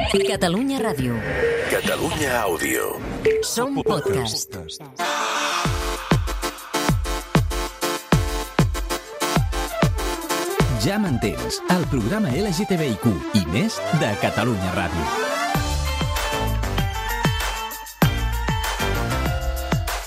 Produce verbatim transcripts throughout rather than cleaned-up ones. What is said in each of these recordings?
Catalunya Ràdio. Catalunya Àudio. Som podcast. Ja m'entens, el programa L G T B I Q i més de Catalunya Ràdio.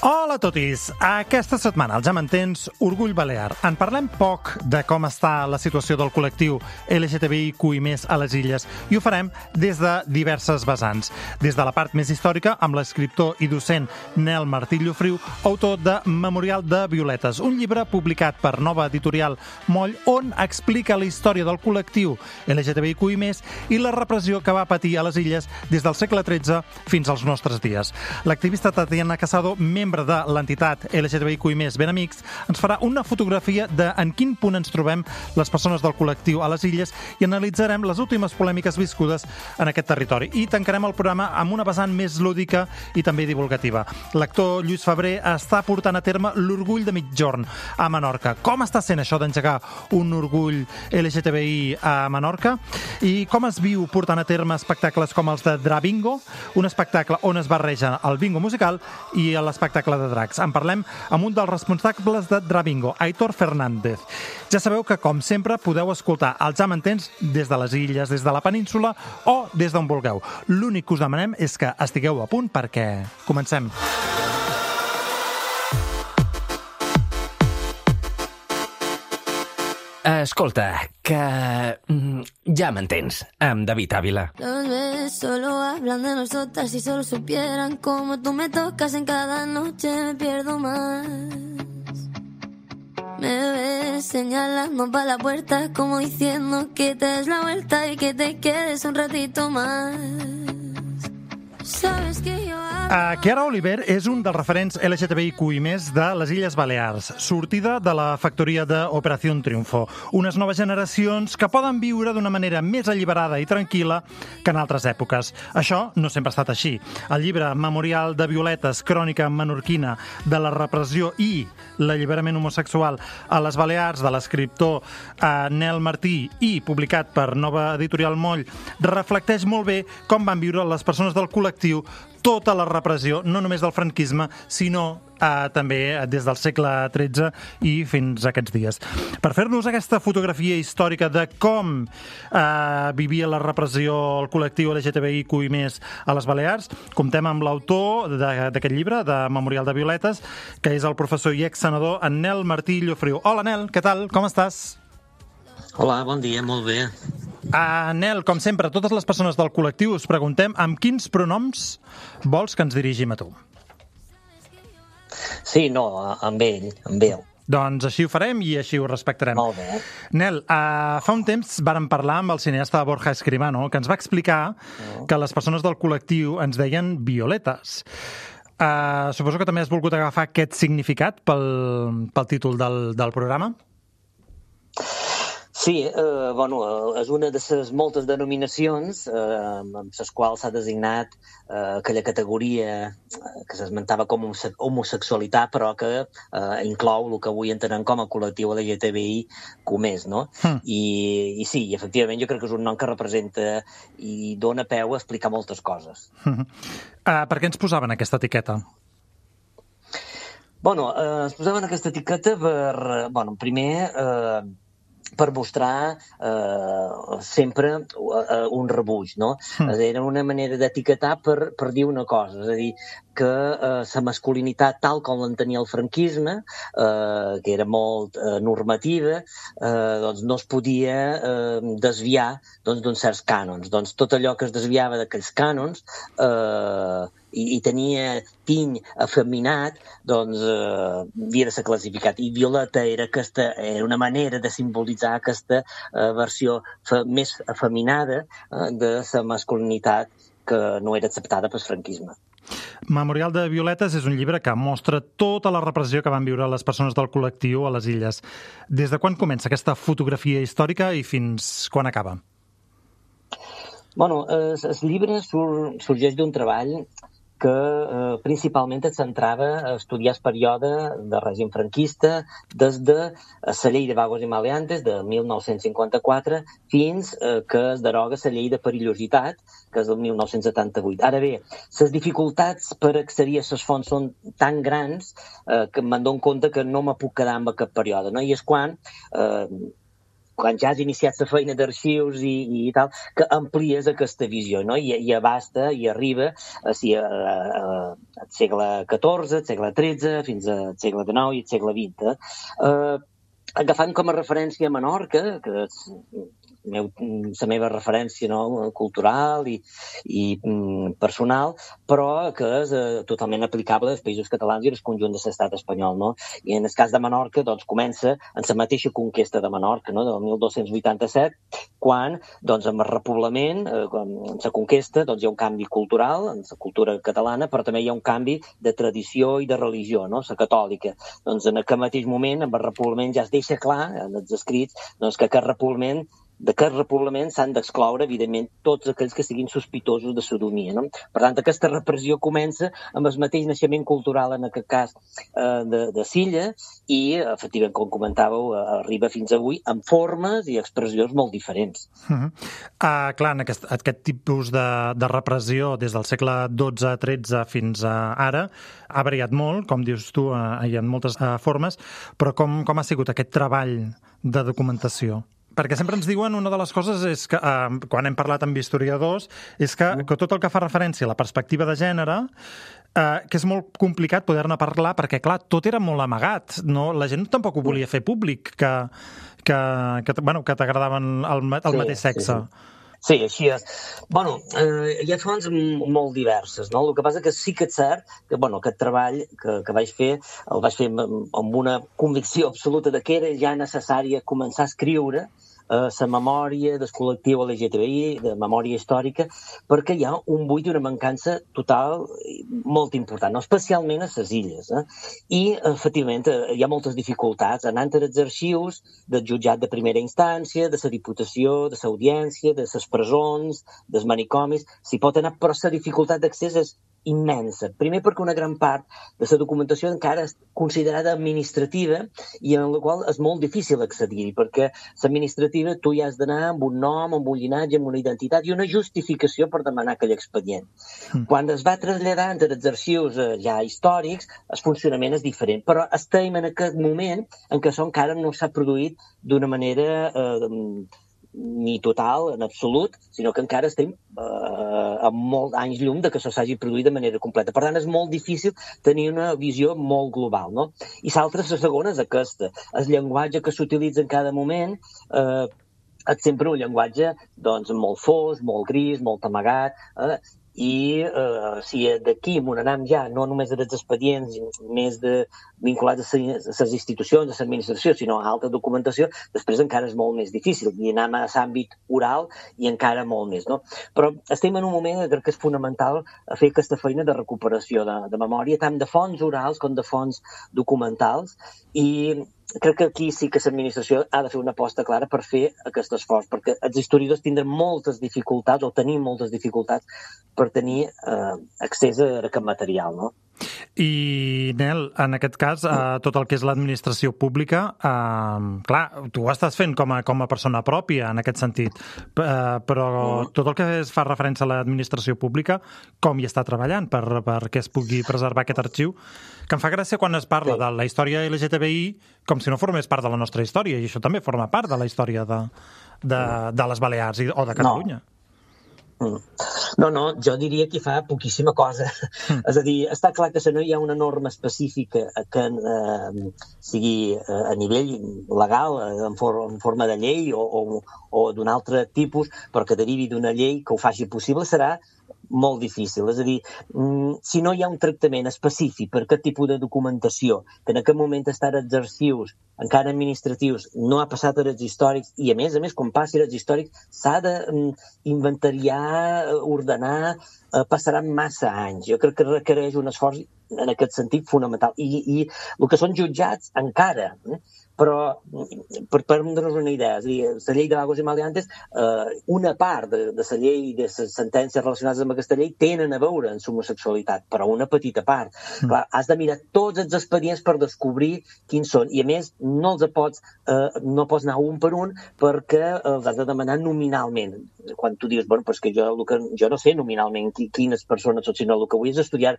Hola a totis! Aquesta setmana, al Ja m'entens, Orgull Balear. En parlem poc de com està la situació del col·lectiu L G T B I Q i més a les Illes i ho farem des de diverses vessants. Des de la part més històrica, amb l'escriptor i docent Nel Martí Llofriu, autor de Memorial de Violetes, un llibre publicat per Nova Editorial Moll, on explica la història del col·lectiu L G T B I Q i més i la repressió que va patir a les Illes des del segle tretze fins als nostres dies. L'activista Tatiana Casado, membre de l'entitat L G T B I Q i més Ben Amics, ens farà una fotografia de en quin punt ens trobem les persones del col·lectiu a les Illes i analitzarem les últimes polèmiques viscudes en aquest territori. I tancarem el programa amb una vessant més lúdica i també divulgativa. L'actor Lluís Febrer està portant a terme l'Orgull de Migjorn a Menorca. Com està sent això d'engegar un orgull L G T B I a Menorca? I com es viu portant a terme espectacles com els de Drabingo, un espectacle on es barreja el bingo musical i l'espectacle de dracs. En parlem amb un dels responsables de Drabingo, Aitor Fernández. Ja sabeu que, com sempre, podeu escoltar el Ja m'entens des de les Illes, des de la península o des d'on vulgueu. L'únic que us demanem és que estigueu a punt perquè comencem. Escolta, que... Ja m'entens, amb David Ávila. Los besos solo hablan de nosotras. Si solo supieran cómo tú me tocas en cada noche, me pierdo más. Me ves señalando para la puerta, como diciendo que te des la vuelta y que te quedes un ratito más. Sabes que yo... Uh, Chiara Oliver és un dels referents L G T B I Q i més de les Illes Balears, sortida de la factoria d'Operació Triunfo. Unes noves generacions que poden viure d'una manera més alliberada i tranquil·la que en altres èpoques. Això no sempre ha estat així. El llibre Memorial de Violetes, crònica menorquina de la repressió i l'alliberament homosexual a les Balears, de l'escriptor uh, Nel Martí i publicat per Nova Editorial Moll, reflecteix molt bé com van viure les persones del col·lectiu tota la repressió, no només del franquisme, sinó eh, també des del segle tretze i fins a aquests dies. Per fer-nos aquesta fotografia històrica de com eh, vivia la repressió el col·lectiu L G T B I Q i més a les Balears, comptem amb l'autor d'aquest llibre, de Memorial de Violetes, que és el professor i ex-senador en Nel Martí Llofriu. Hola, Nel, què tal? Com estàs? Hola, bon dia, molt bé. Uh, Nel, com sempre, totes les persones del col·lectiu us preguntem amb quins pronoms vols que ens dirigim a tu? Sí, no, amb ell, amb ell. Doncs així ho farem i així ho respectarem. Molt bé. Nel, uh, fa un temps vàrem parlar amb el cineasta Borja Escribano, que ens va explicar mm. que les persones del col·lectiu ens deien violetes. Uh, suposo que també has volgut agafar aquest significat pel, pel títol del, del programa? Sí, eh, bueno, és una de les moltes denominacions eh, amb les quals s'ha designat eh, aquella categoria que s'esmentava com homosexualitat, però que eh, inclou el que avui entenem com a col·lectiu L G T B I Q més, no? Mm. I, I sí, efectivament, jo crec que és un nom que representa i dona peu a explicar moltes coses. Mm. Uh, per què ens posaven aquesta etiqueta? Bueno, eh, ens posaven aquesta etiqueta per, bueno, primer... Eh, per mostrar eh, sempre uh, un rebuig, no? Mm. Era una manera d'etiquetar per, per dir una cosa, és a dir, que eh, la masculinitat tal com l'entenia el franquisme, eh, que era molt eh, normativa, eh, doncs no es podia eh, desviar doncs, d'uns certs cànons. Doncs tot allò que es desviava d'aquells cànons eh, i, i tenia tiny afeminat, doncs eh, havia de ser classificat. I violeta era, aquesta, era una manera de simbolitzar aquesta eh, versió fe, més afeminada eh, de la masculinitat que no era acceptada pel franquisme. Memorial de Violetes és un llibre que mostra tota la repressió que van viure les persones del col·lectiu a les Illes. Des de quan comença aquesta fotografia històrica i fins quan acaba? Bueno, el llibre sur, sorgeix d'un treball que eh, principalment es centrava a estudiar el període de règim franquista des de la llei de vagos i maleantes de mil nou-cents cinquanta-quatre fins eh, que es deroga la llei de perillositat, que és del mil nou-cents setanta-vuit. Ara bé, les dificultats per accedir a les fonts són tan grans eh, que me'n dono compte que no me puc quedar amb aquest període, no? I és quan... Eh, quan ja has iniciat la feina d'arxius i, i tal, que amplies aquesta visió, no? I, i abasta i arriba a, si, a, a, al segle catorze, al segle tretze, fins al segle dinou i al segle vint. Eh? Uh, agafant com a referència Menorca, que és meu, la meva referència, no? Cultural i, i mm, personal, però que és eh, totalment aplicable als països catalans i al conjunt de l'estat espanyol. No? I en el cas de Menorca doncs, comença en la mateixa conquesta de Menorca, no? del mil dos-cents vuitanta-set, quan doncs, amb el repoblament, eh, amb la conquesta, doncs, hi ha un canvi cultural en la cultura catalana, però també hi ha un canvi de tradició i de religió, no? La catòlica. Doncs en aquest mateix moment, amb el repoblament ja es deixa clar, en els escrits, doncs, que aquest repoblament d'aquest repoblament s'han d'excloure, evidentment, tots aquells que siguin sospitosos de sodomia. No? Per tant, aquesta repressió comença amb el mateix naixement cultural, en aquest cas, eh, de, de Silla, i, efectivament, com comentàveu, arriba fins avui amb formes i expressions molt diferents. Uh -huh. uh, clar, en aquest, aquest tipus de, de repressió des del segle dotze tretze fins a ara ha variat molt, com dius tu, uh, hi ha moltes uh, formes, però com, com ha sigut aquest treball de documentació? Perquè sempre ens diuen, una de les coses és que, eh, quan hem parlat amb historiadors, és que, que tot el que fa referència a la perspectiva de gènere, eh, que és molt complicat poder-ne parlar, perquè, clar, tot era molt amagat. No? La gent tampoc ho volia fer públic, que, que, que, bueno, que t'agradaven el, el Sí, mateix sexe. sí, sí. Sí, així és. Bueno, eh, hi ha fonts molt diverses, no? El que passa que sí que és cert que, bueno, aquest treball que, que vaig fer, el vaig fer amb, amb una convicció absoluta de que era ja necessària començar a escriure la memòria del col·lectiu L G T B I, de memòria històrica, perquè hi ha un buit i una mancança total molt important, no? Especialment a les illes. Eh? I, efectivament, hi ha moltes dificultats anant als arxius del jutjat de primera instància, de la Diputació, de l'Audiència, de les presons, dels manicomis. S'hi pot anar, però la dificultat d'accés és immensa. Primer perquè una gran part de la documentació encara és considerada administrativa i en la qual és molt difícil accedir-hi, perquè l'administrativa tu ja has d'anar amb un nom, amb un llinatge, amb una identitat i una justificació per demanar aquell expedient. Mm. Quan es va traslladar entre els arxius eh, ja històrics, el funcionament és diferent, però estem en aquest moment en què això encara no s'ha produït d'una manera eh, ni total, en absolut, sinó que encara estem eh, amb molts anys llum de que això s'hagi produït de manera completa. Per tant, és molt difícil tenir una visió molt global, no? I l'altra, la segona, és aquesta. El llenguatge que s'utilitza en cada moment eh, és sempre un llenguatge doncs, molt fos, molt gris, molt amagat, eh? I eh, si d'aquí m'ho anem ja, no només dels expedients més de, vinculats a les institucions, a l'administració, sinó a altra documentació, després encara és molt més difícil, i anem a l'àmbit oral i encara molt més. No? Però estem en un moment que crec que és fonamental fer aquesta feina de recuperació de, de memòria, tant de fonts orals com de fonts documentals, i crec que aquí sí que l'administració ha de fer una aposta clara per fer aquest esforç, perquè els historiadors tindran moltes dificultats, o tenim moltes dificultats, per tenir eh, accés a aquest material, no? I, Nel, en aquest cas, eh, tot el que és l'administració pública, eh, clar, tu ho estàs fent com a, com a persona pròpia, en aquest sentit, eh, però tot el que es fa referència a l'administració pública, com hi està treballant per, perquè es pugui preservar aquest arxiu, que em fa gràcia quan es parla de la història L G T B I com si no formés part de la nostra història, i això també forma part de la història de, de, de les Balears i, o de Catalunya. No. No, no, jo diria que hi fa poquíssima cosa. Mm. És a dir, està clar que si no hi ha una norma específica que eh, sigui eh, a nivell legal, eh, en, for en forma de llei o, o, o d'un altre tipus, però que derivi d'una llei que ho faci possible, serà molt difícil. És a dir, si no hi ha un tractament específic per aquest tipus de documentació, que en aquest moment està als arxius, encara administratius, no ha passat als històrics, i a més a més, quan passi als històrics, s'ha d'inventariar, ordenar, passaran massa anys. Jo crec que requereix un esforç en aquest sentit fonamental. I, i el que són jutjats, encara, eh? però per prendre'ns una idea, és a dir, la llei de vagos i maleantes, eh, una part de, de la llei, de les sentències relacionades amb aquesta llei, tenen a veure amb l'homosexualitat, però una petita part. Mm. Clar, has de mirar tots els expedients per descobrir quins són, i a més no els pots, eh, no pots anar un per un perquè els has de demanar nominalment. Quan tu dius, bueno, però és que jo, que, jo no sé nominalment quines persones són, sinó el que vull és estudiar.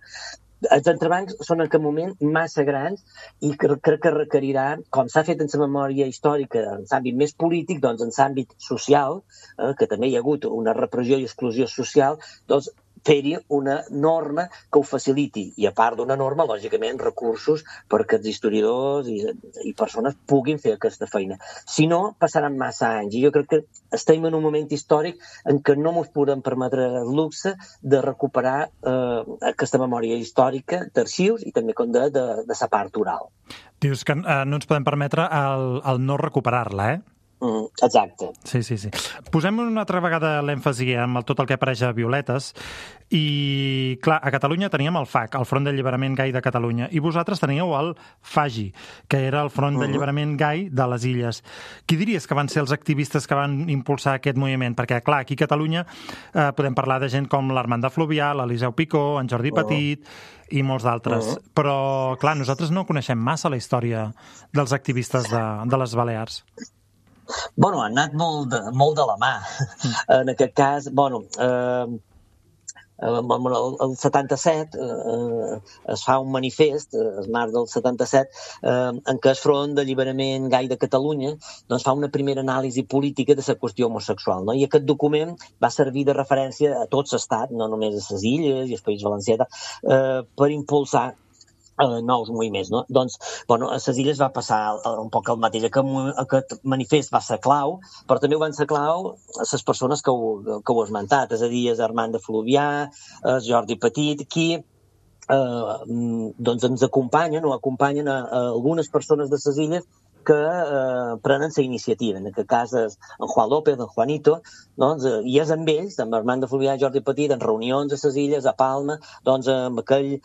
Els entrebancs són en aquest moment massa grans i crec que requerirà, com s'ha fet en la memòria històrica, en l'àmbit més polític, doncs en l'àmbit social, eh, que també hi ha hagut una repressió i exclusió social, doncs fer-hi una norma que ho faciliti. I a part d'una norma, lògicament, recursos perquè els historiadors i, i persones puguin fer aquesta feina. Si no, passaran massa anys. I jo crec que estem en un moment històric en què no ens podem permetre el luxe de recuperar eh, aquesta memòria històrica d'arxius i també com de, de, de la part oral. Dius que eh, no ens podem permetre el, el no recuperar-la, eh? Mm, exacte. Sí, sí, sí. Posem una altra vegada l'èmfasi en el, tot el que apareix a Violetes i, clar, a Catalunya teníem el F A C, el Front d'Alliberament Gai de Catalunya, i vosaltres teníeu el F A G I, que era el Front uh-huh. d'Alliberament Gai de les Illes. Qui diries que van ser els activistes que van impulsar aquest moviment? Perquè, clar, aquí a Catalunya eh, podem parlar de gent com l'Armanda Fluvià, l'Eliseu Picó, en Jordi uh-huh. Petit i molts d'altres. Uh-huh. Però, clar, nosaltres no coneixem massa la història dels activistes de, de les Balears. Bueno, han anat molt de, molt de la mà. En aquest cas, bueno, eh, el, el setanta-set eh, es fa un manifest, el març del setanta-set, eh, en què el Front d'Alliberament Gai de Catalunya doncs, fa una primera anàlisi política de la qüestió homosexual. No? I aquest document va servir de referència a tot l'estat, no només a les Illes i al País Valencià, eh, per impulsar Uh, nous moviments, no? Doncs, bueno, a les Illes va passar un poc el mateix. Aquest, aquest manifest va ser clau, però també van ser clau a les persones que ho, que ho he esmentat, és a dir, Armanda Fluvià, Jordi Petit, qui eh, doncs ens acompanyen o acompanyen a, a algunes persones de les Illes que eh, prenen la iniciativa. En aquest cas és en Juan López, en Juanito, doncs, eh, i és amb ells, amb Armanda Fluvià i Jordi Petit, en reunions a les Illes, a Palma, doncs amb aquell eh,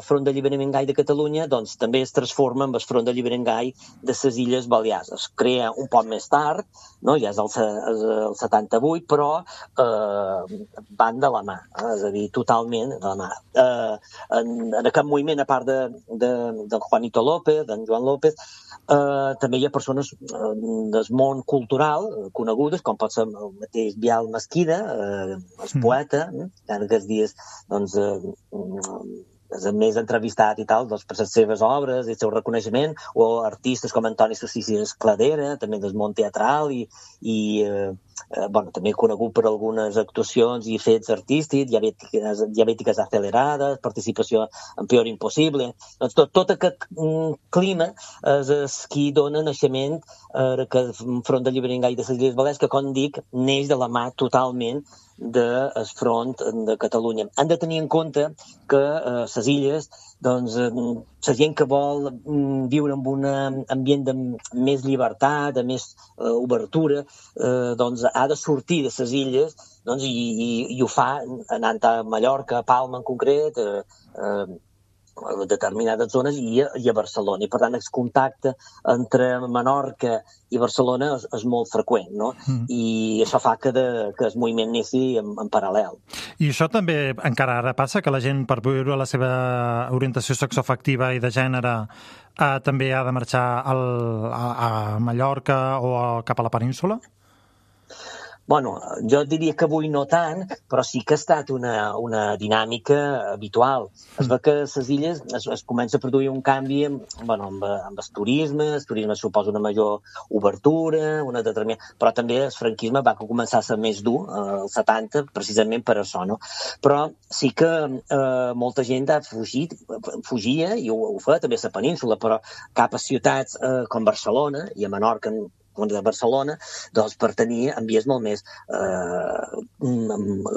Front d'Alliberament Gai de Catalunya, doncs també es transforma en el Front d'Alliberament Gai de les Illes Balears. Es crea un poc més tard, no? Ja és el, el setanta-vuit, però eh, van de la mà, eh? És a dir, totalment de la mà. Eh, en, en aquest moviment, a part de, de, de Juanito López, d'en Joan López, eh, també hi ha persones eh, del món cultural eh, conegudes, com pot ser el mateix Bial Mesquida, eh, el poeta, eh, en aquests dies doncs, eh, és el més entrevistat i tal, doncs, per les seves obres i el seu reconeixement, o artistes com Antoni Sossís Cladera, també del món teatral i, i eh, eh, bueno, també conegut per algunes actuacions i fets artístics, diabètiques, diabètiques accelerades, participació en Peor Impossible. Doncs tot, tot aquest mm, clima és, és qui dona naixement a aquest Front d'Alliberament Gai de les Illes Balears, que, com dic, neix de la mà totalment del Front de Catalunya. Han de tenir en compte que eh, les illes, doncs, eh, la gent que vol mm, viure en un ambient de més llibertat, de més eh, obertura, eh, doncs ha de sortir de les illes, doncs, i, i, i ho fa anant a Mallorca, a Palma en concret, eh, eh, a determinades zones i a, i a Barcelona. I, per tant, el contacte entre Menorca i Barcelona és, és molt freqüent, no? Mm. I això fa que, de, que el moviment neixi en, en paral·lel. I això també encara ara passa, que la gent, per viure la seva orientació sexoafectiva i de gènere, eh, també ha de marxar al, a, a Mallorca o a, cap a la península? Bueno, jo diria que avui no tant, però sí que ha estat una, una dinàmica habitual. Es veu que a les illes es, es comença a produir un canvi bueno, amb, amb el turisme, el turisme suposa una major obertura, una determinada... però també el franquisme va començar a ser més dur, als setanta, precisament per això, no? Però sí que eh, molta gent ha fugit, fugia, i ho, ho fa també a la península, però cap a ciutats eh, com Barcelona i a Menorca, de Barcelona, doncs per tenir ambients molt més eh,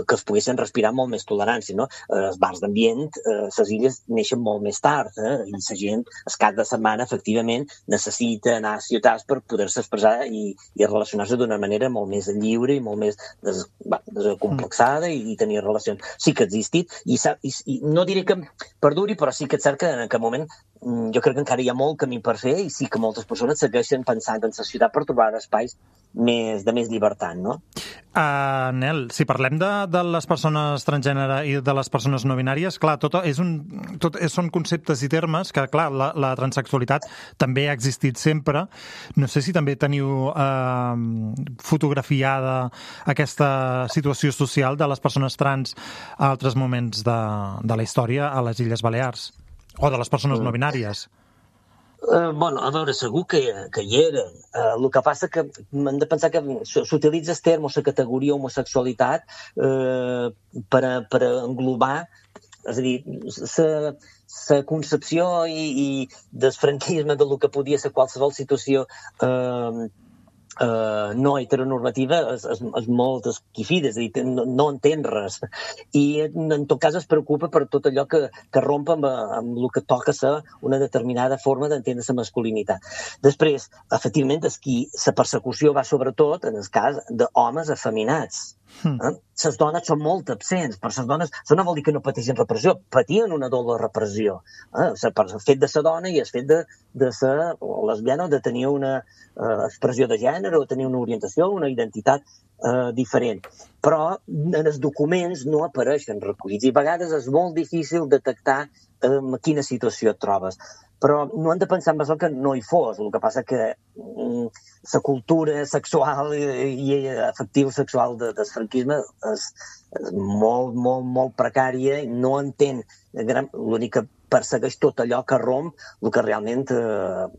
que es poguessin respirar molt més tolerància, no? Els bars d'ambient, eh, les illes neixen molt més tard, eh? I la gent, el cap de setmana, efectivament, necessita anar a ciutats per poder-se expressar i, i relacionar-se d'una manera molt més lliure i molt més des, va, desacomplexada i, i tenir relacions. Sí que ha existit, i, i, i no diré que perduri, però sí que és cert que en aquest moment jo crec que encara hi ha molt camí per fer i sí que moltes persones segueixen pensant en la ciutat per trobar espais més, de més llibertat, no? Uh, Nel, si parlem de, de les persones transgènere i de les persones no binàries, clar, tot és un, tot és, són conceptes i termes que, clar, la, la transsexualitat també ha existit sempre. No sé si també teniu uh, fotografiada aquesta situació social de les persones trans a altres moments de, de la història a les Illes Balears, o de les persones no binàries. Uh, bueno, a veure, segur que, que hi eren. Uh, el que passa que hem de pensar que s'utilitza el terme o la categoria homosexualitat uh, per, a, per a englobar, és a dir, la concepció i, i del franquisme del que podia ser qualsevol situació uh, Uh, no heteronormativa és, és, és molt esquifida, és a dir, no, no entén res. I en tot cas es preocupa per tot allò que, que romp amb, amb el que toca ser una determinada forma d'entendre la masculinitat. Després, efectivament, és qui la persecució va sobretot en el cas d'homes afeminats. Hmm. Eh? Les dones són molt absents, però les dones, això no vol dir que no pateixen repressió, patien una doble repressió. Eh? El fet de ser dona i el fet de, de ser lesbiana o de tenir una eh, expressió de gènere o tenir una orientació, una identitat eh, diferent. Però en els documents no apareixen recollits i a vegades és molt difícil detectar en quina situació et trobes. Però no hem de pensar en això que no hi fos. El que passa que mm, la cultura sexual i, i afectiu sexual de, del franquisme és, és molt, molt, molt precària i no entén. L'únic que persegueix tot allò que romp el que realment eh,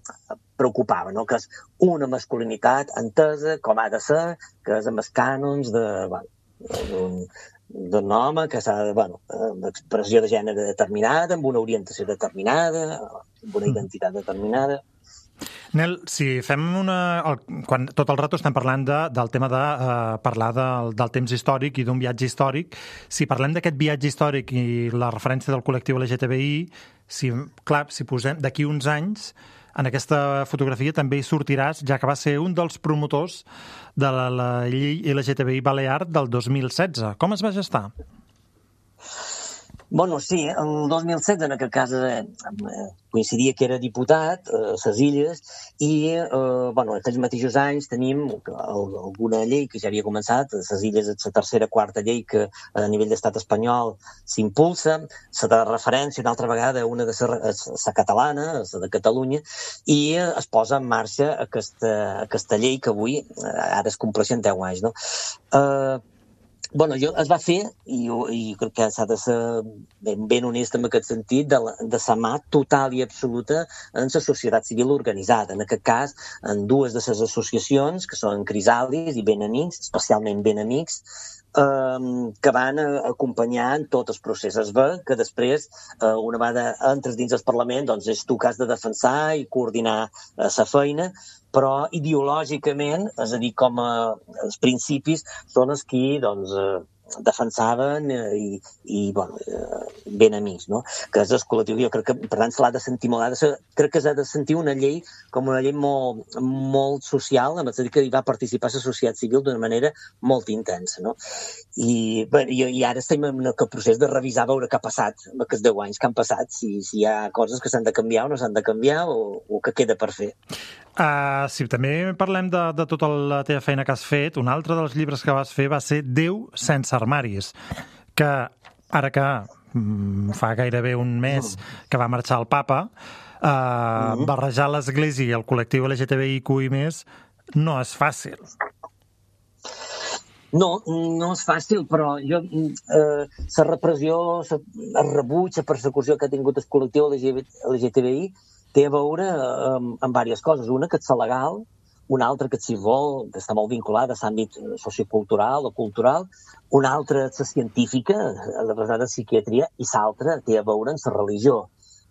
preocupava, no? Que és una masculinitat entesa com ha de ser, que és amb els cànons de, bueno, d'un d'un home que s'ha de, bueno, amb expressió de gènere determinada, amb una orientació determinada, amb una identitat determinada. Nel, si fem una... El, quan tot el rato estem parlant de, del tema de uh, parlar del, del temps històric i d'un viatge històric, si parlem d'aquest viatge històric i la referència del col·lectiu L G T B I, si, clar, si posem d'aquí uns anys, en aquesta fotografia també hi sortiràs, ja que va ser un dels promotors de la, la llei L G T B I Balear del dos mil setze. Com es va gestar? Bueno, sí, el dos mil setze, en aquest cas, eh, coincidia que era diputat a les Illes i, eh, bueno, en aquells mateixos anys tenim alguna llei que ja havia començat, a les Illes és la tercera quarta llei que a nivell d'estat espanyol s'impulsa, la de referència una altra vegada, una de la catalana, la de Catalunya, i es posa en marxa aquesta, aquesta llei que avui, ara es compleixen deu anys, no? Eh, Bueno, jo es va fer, i, i crec que s'ha de ser ben, ben honest en aquest sentit, de la, de la mà total i absoluta en la societat civil organitzada. En aquest cas, en dues de les associacions, que són Crisalis i Ben Amics, especialment Ben Amics, eh, que van acompanyar en tot el procés. Es ve que després, eh, una vegada entres dins el Parlament, doncs és tu que has de defensar i coordinar eh, la feina, però ideològicament, és a dir, com a, els principis són els qui doncs, eh, defensaven eh, i, i bueno, eh, Ben Amics, no? Que és el col·lectiu. Jo crec que, per tant, se l'ha de sentir molt. Ha de ser, crec que s'ha de sentir una llei com una llei molt, molt social, en el sentit que hi va participar la societat civil d'una manera molt intensa, no? I, bé, i, i ara estem en el procés de revisar, veure què ha passat en aquests deu anys que han passat, si, si hi ha coses que s'han de canviar o no s'han de canviar o, o que queda per fer. Uh, si també parlem de, de tota la teva feina que has fet, un altre dels llibres que vas fer va ser Déu sense armaris, que ara que mm, fa gairebé un mes que va marxar el papa, uh, mm-hmm. barrejar l'Església i el col·lectiu L G T B I Q i més no és fàcil. No, no és fàcil, però jo, eh, la repressió, el rebuig, la persecució que ha tingut el col·lectiu L G T B I té a veure amb, amb diverses coses. Una, que és la legal, una altra, que si vol, que està molt vinculada a l'àmbit sociocultural o cultural, una altra és la científica, la basada en psiquiatria, i l'altra té a veure amb la religió.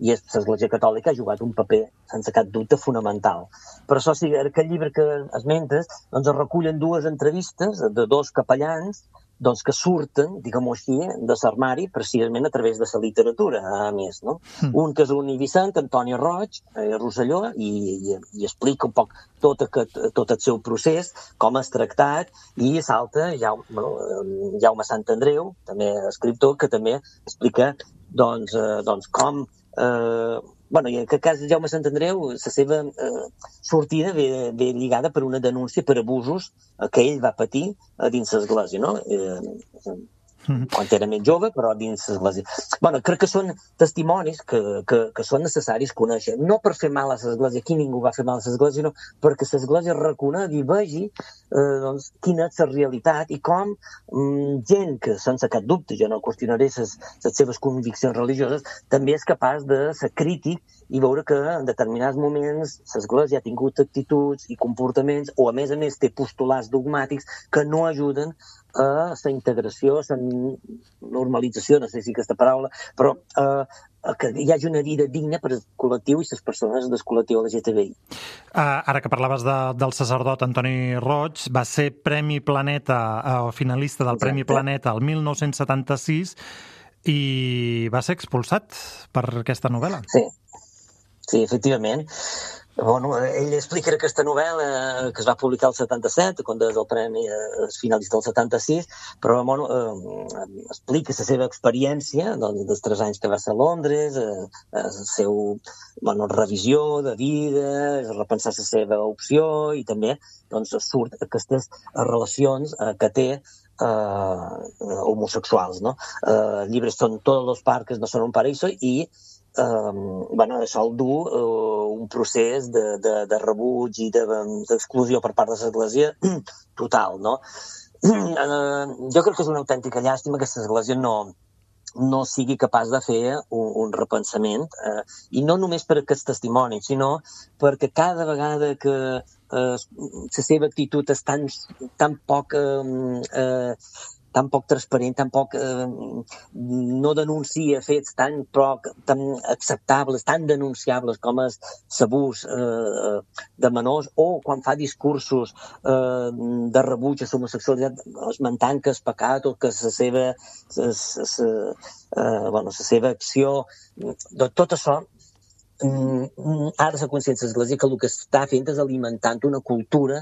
I l'Església Catòlica ha jugat un paper, sense cap dubte, fonamental. Per això, si aquest llibre que esmentes, doncs es recullen dues entrevistes de dos capellans doncs que surten, diguem-ho així, de l'armari precisament a través de la literatura, a més, no? Mm. Un que és un Vicent, Antoni Roig, eh, Rosselló, i, i, i explica un poc tot, aquest, tot el seu procés, com és tractat, i l'altre, Jaume, bueno, Jaume Sant Andreu, també escriptor, que també explica doncs, eh, doncs com eh, bueno, i en aquest cas Jaume Sant Andreu, la seva eh, sortida ve, ve lligada per una denúncia per abusos que ell va patir a dins l'església, no? Eh, quan era més jove, però dins l'església. Bueno, crec que són testimonis que, que, que són necessaris conèixer. No per fer mal a l'església, aquí ningú va fer mal a l'església, sinó perquè l'església reconegui i vegi eh, doncs, quina és la realitat i com mm, gent que, sense cap dubte, jo no qüestionaré les seves conviccions religioses, també és capaç de ser crític i veure que en determinats moments l'església ha tingut actituds i comportaments, o a més a més té postulats dogmàtics que no ajuden a la integració, a la normalització, no sé si aquesta paraula, però eh, que hi hagi una vida digna per al col·lectiu i les persones del col·lectiu L G T B I. Uh, ara que parlaves de, del sacerdot Antoni Roig, va ser Premi Planeta, o uh, finalista del Exacte. Premi Planeta el mil nou-cents setanta-sis i va ser expulsat per aquesta novel·la. Sí, sí, efectivament. Bueno, ell explica aquesta novel·la que es va publicar el setanta-set, quan és el premi eh, finalista del setanta-sis, però bueno, eh, explica la seva experiència doncs, dels tres anys que va ser a Londres, eh, el seu bueno, revisió de vida, repensar la seva opció i també doncs, surt aquestes relacions eh, que té eh, homosexuals. No? Eh, els llibres són Todos los parques no son un paraíso i Um, bueno, això el du uh, un procés de, de, de rebuig i d'exclusió de, per part de l'església total, no? Uh, jo crec que és una autèntica llàstima que l'església no, no sigui capaç de fer un, un repensament, uh, i no només per aquests testimonis, sinó perquè cada vegada que uh, la seva actitud és tan, tan poc... Uh, uh, tan poc transparent, tan poc eh, no denuncia fets tan poc tan acceptables, tan denunciables com és l'abús eh, de menors, o quan fa discursos eh, de rebuig a l'homosexualitat, esmentant que és pecat o que la seva, sa, sa, sa, eh, bueno, la seva acció, de tot això ha de ser consciència de l'Església que el que està fent és alimentant una cultura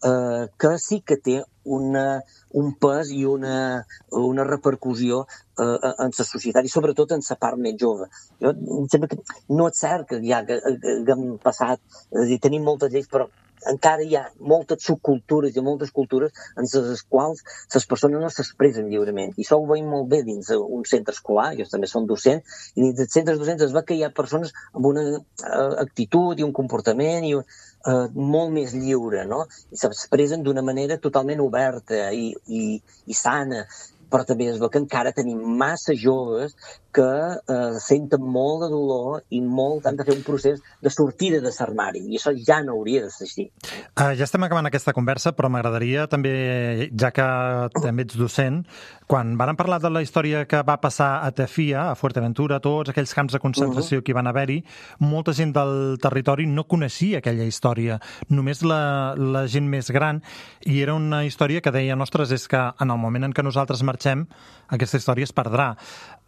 eh, que sí que té una, un pes i una, una repercussió eh, en la societat i sobretot en la part més jove. Jo em sembla que no és cert que ja que, que, que hem passat, és a dir, tenim moltes lleis, però encara hi ha moltes subcultures i moltes cultures en les quals les persones no s'expressen lliurement. I això ho veiem molt bé dins un centre escolar, jo també som docent, i dins dels centres docents es veu que hi ha persones amb una uh, actitud i un comportament i, uh, molt més lliure, no? I s'expressen d'una manera totalment oberta i, i, i sana, però també es veu que encara tenim massa joves que eh, senten molt de dolor i molt han de fer un procés de sortida de l'armari, i això ja no hauria de ser així. Uh, ja estem acabant aquesta conversa, però m'agradaria també, ja que també ets docent, quan varen parlar de la història que va passar a Tafía, a Fuerteventura, tots aquells camps de concentració uh-huh. que hi van haver-hi, molta gent del territori no coneixia aquella història, només la, la gent més gran, i era una història que deia, ostres, és que en el moment en què nosaltres marxem, aquesta història es perdrà.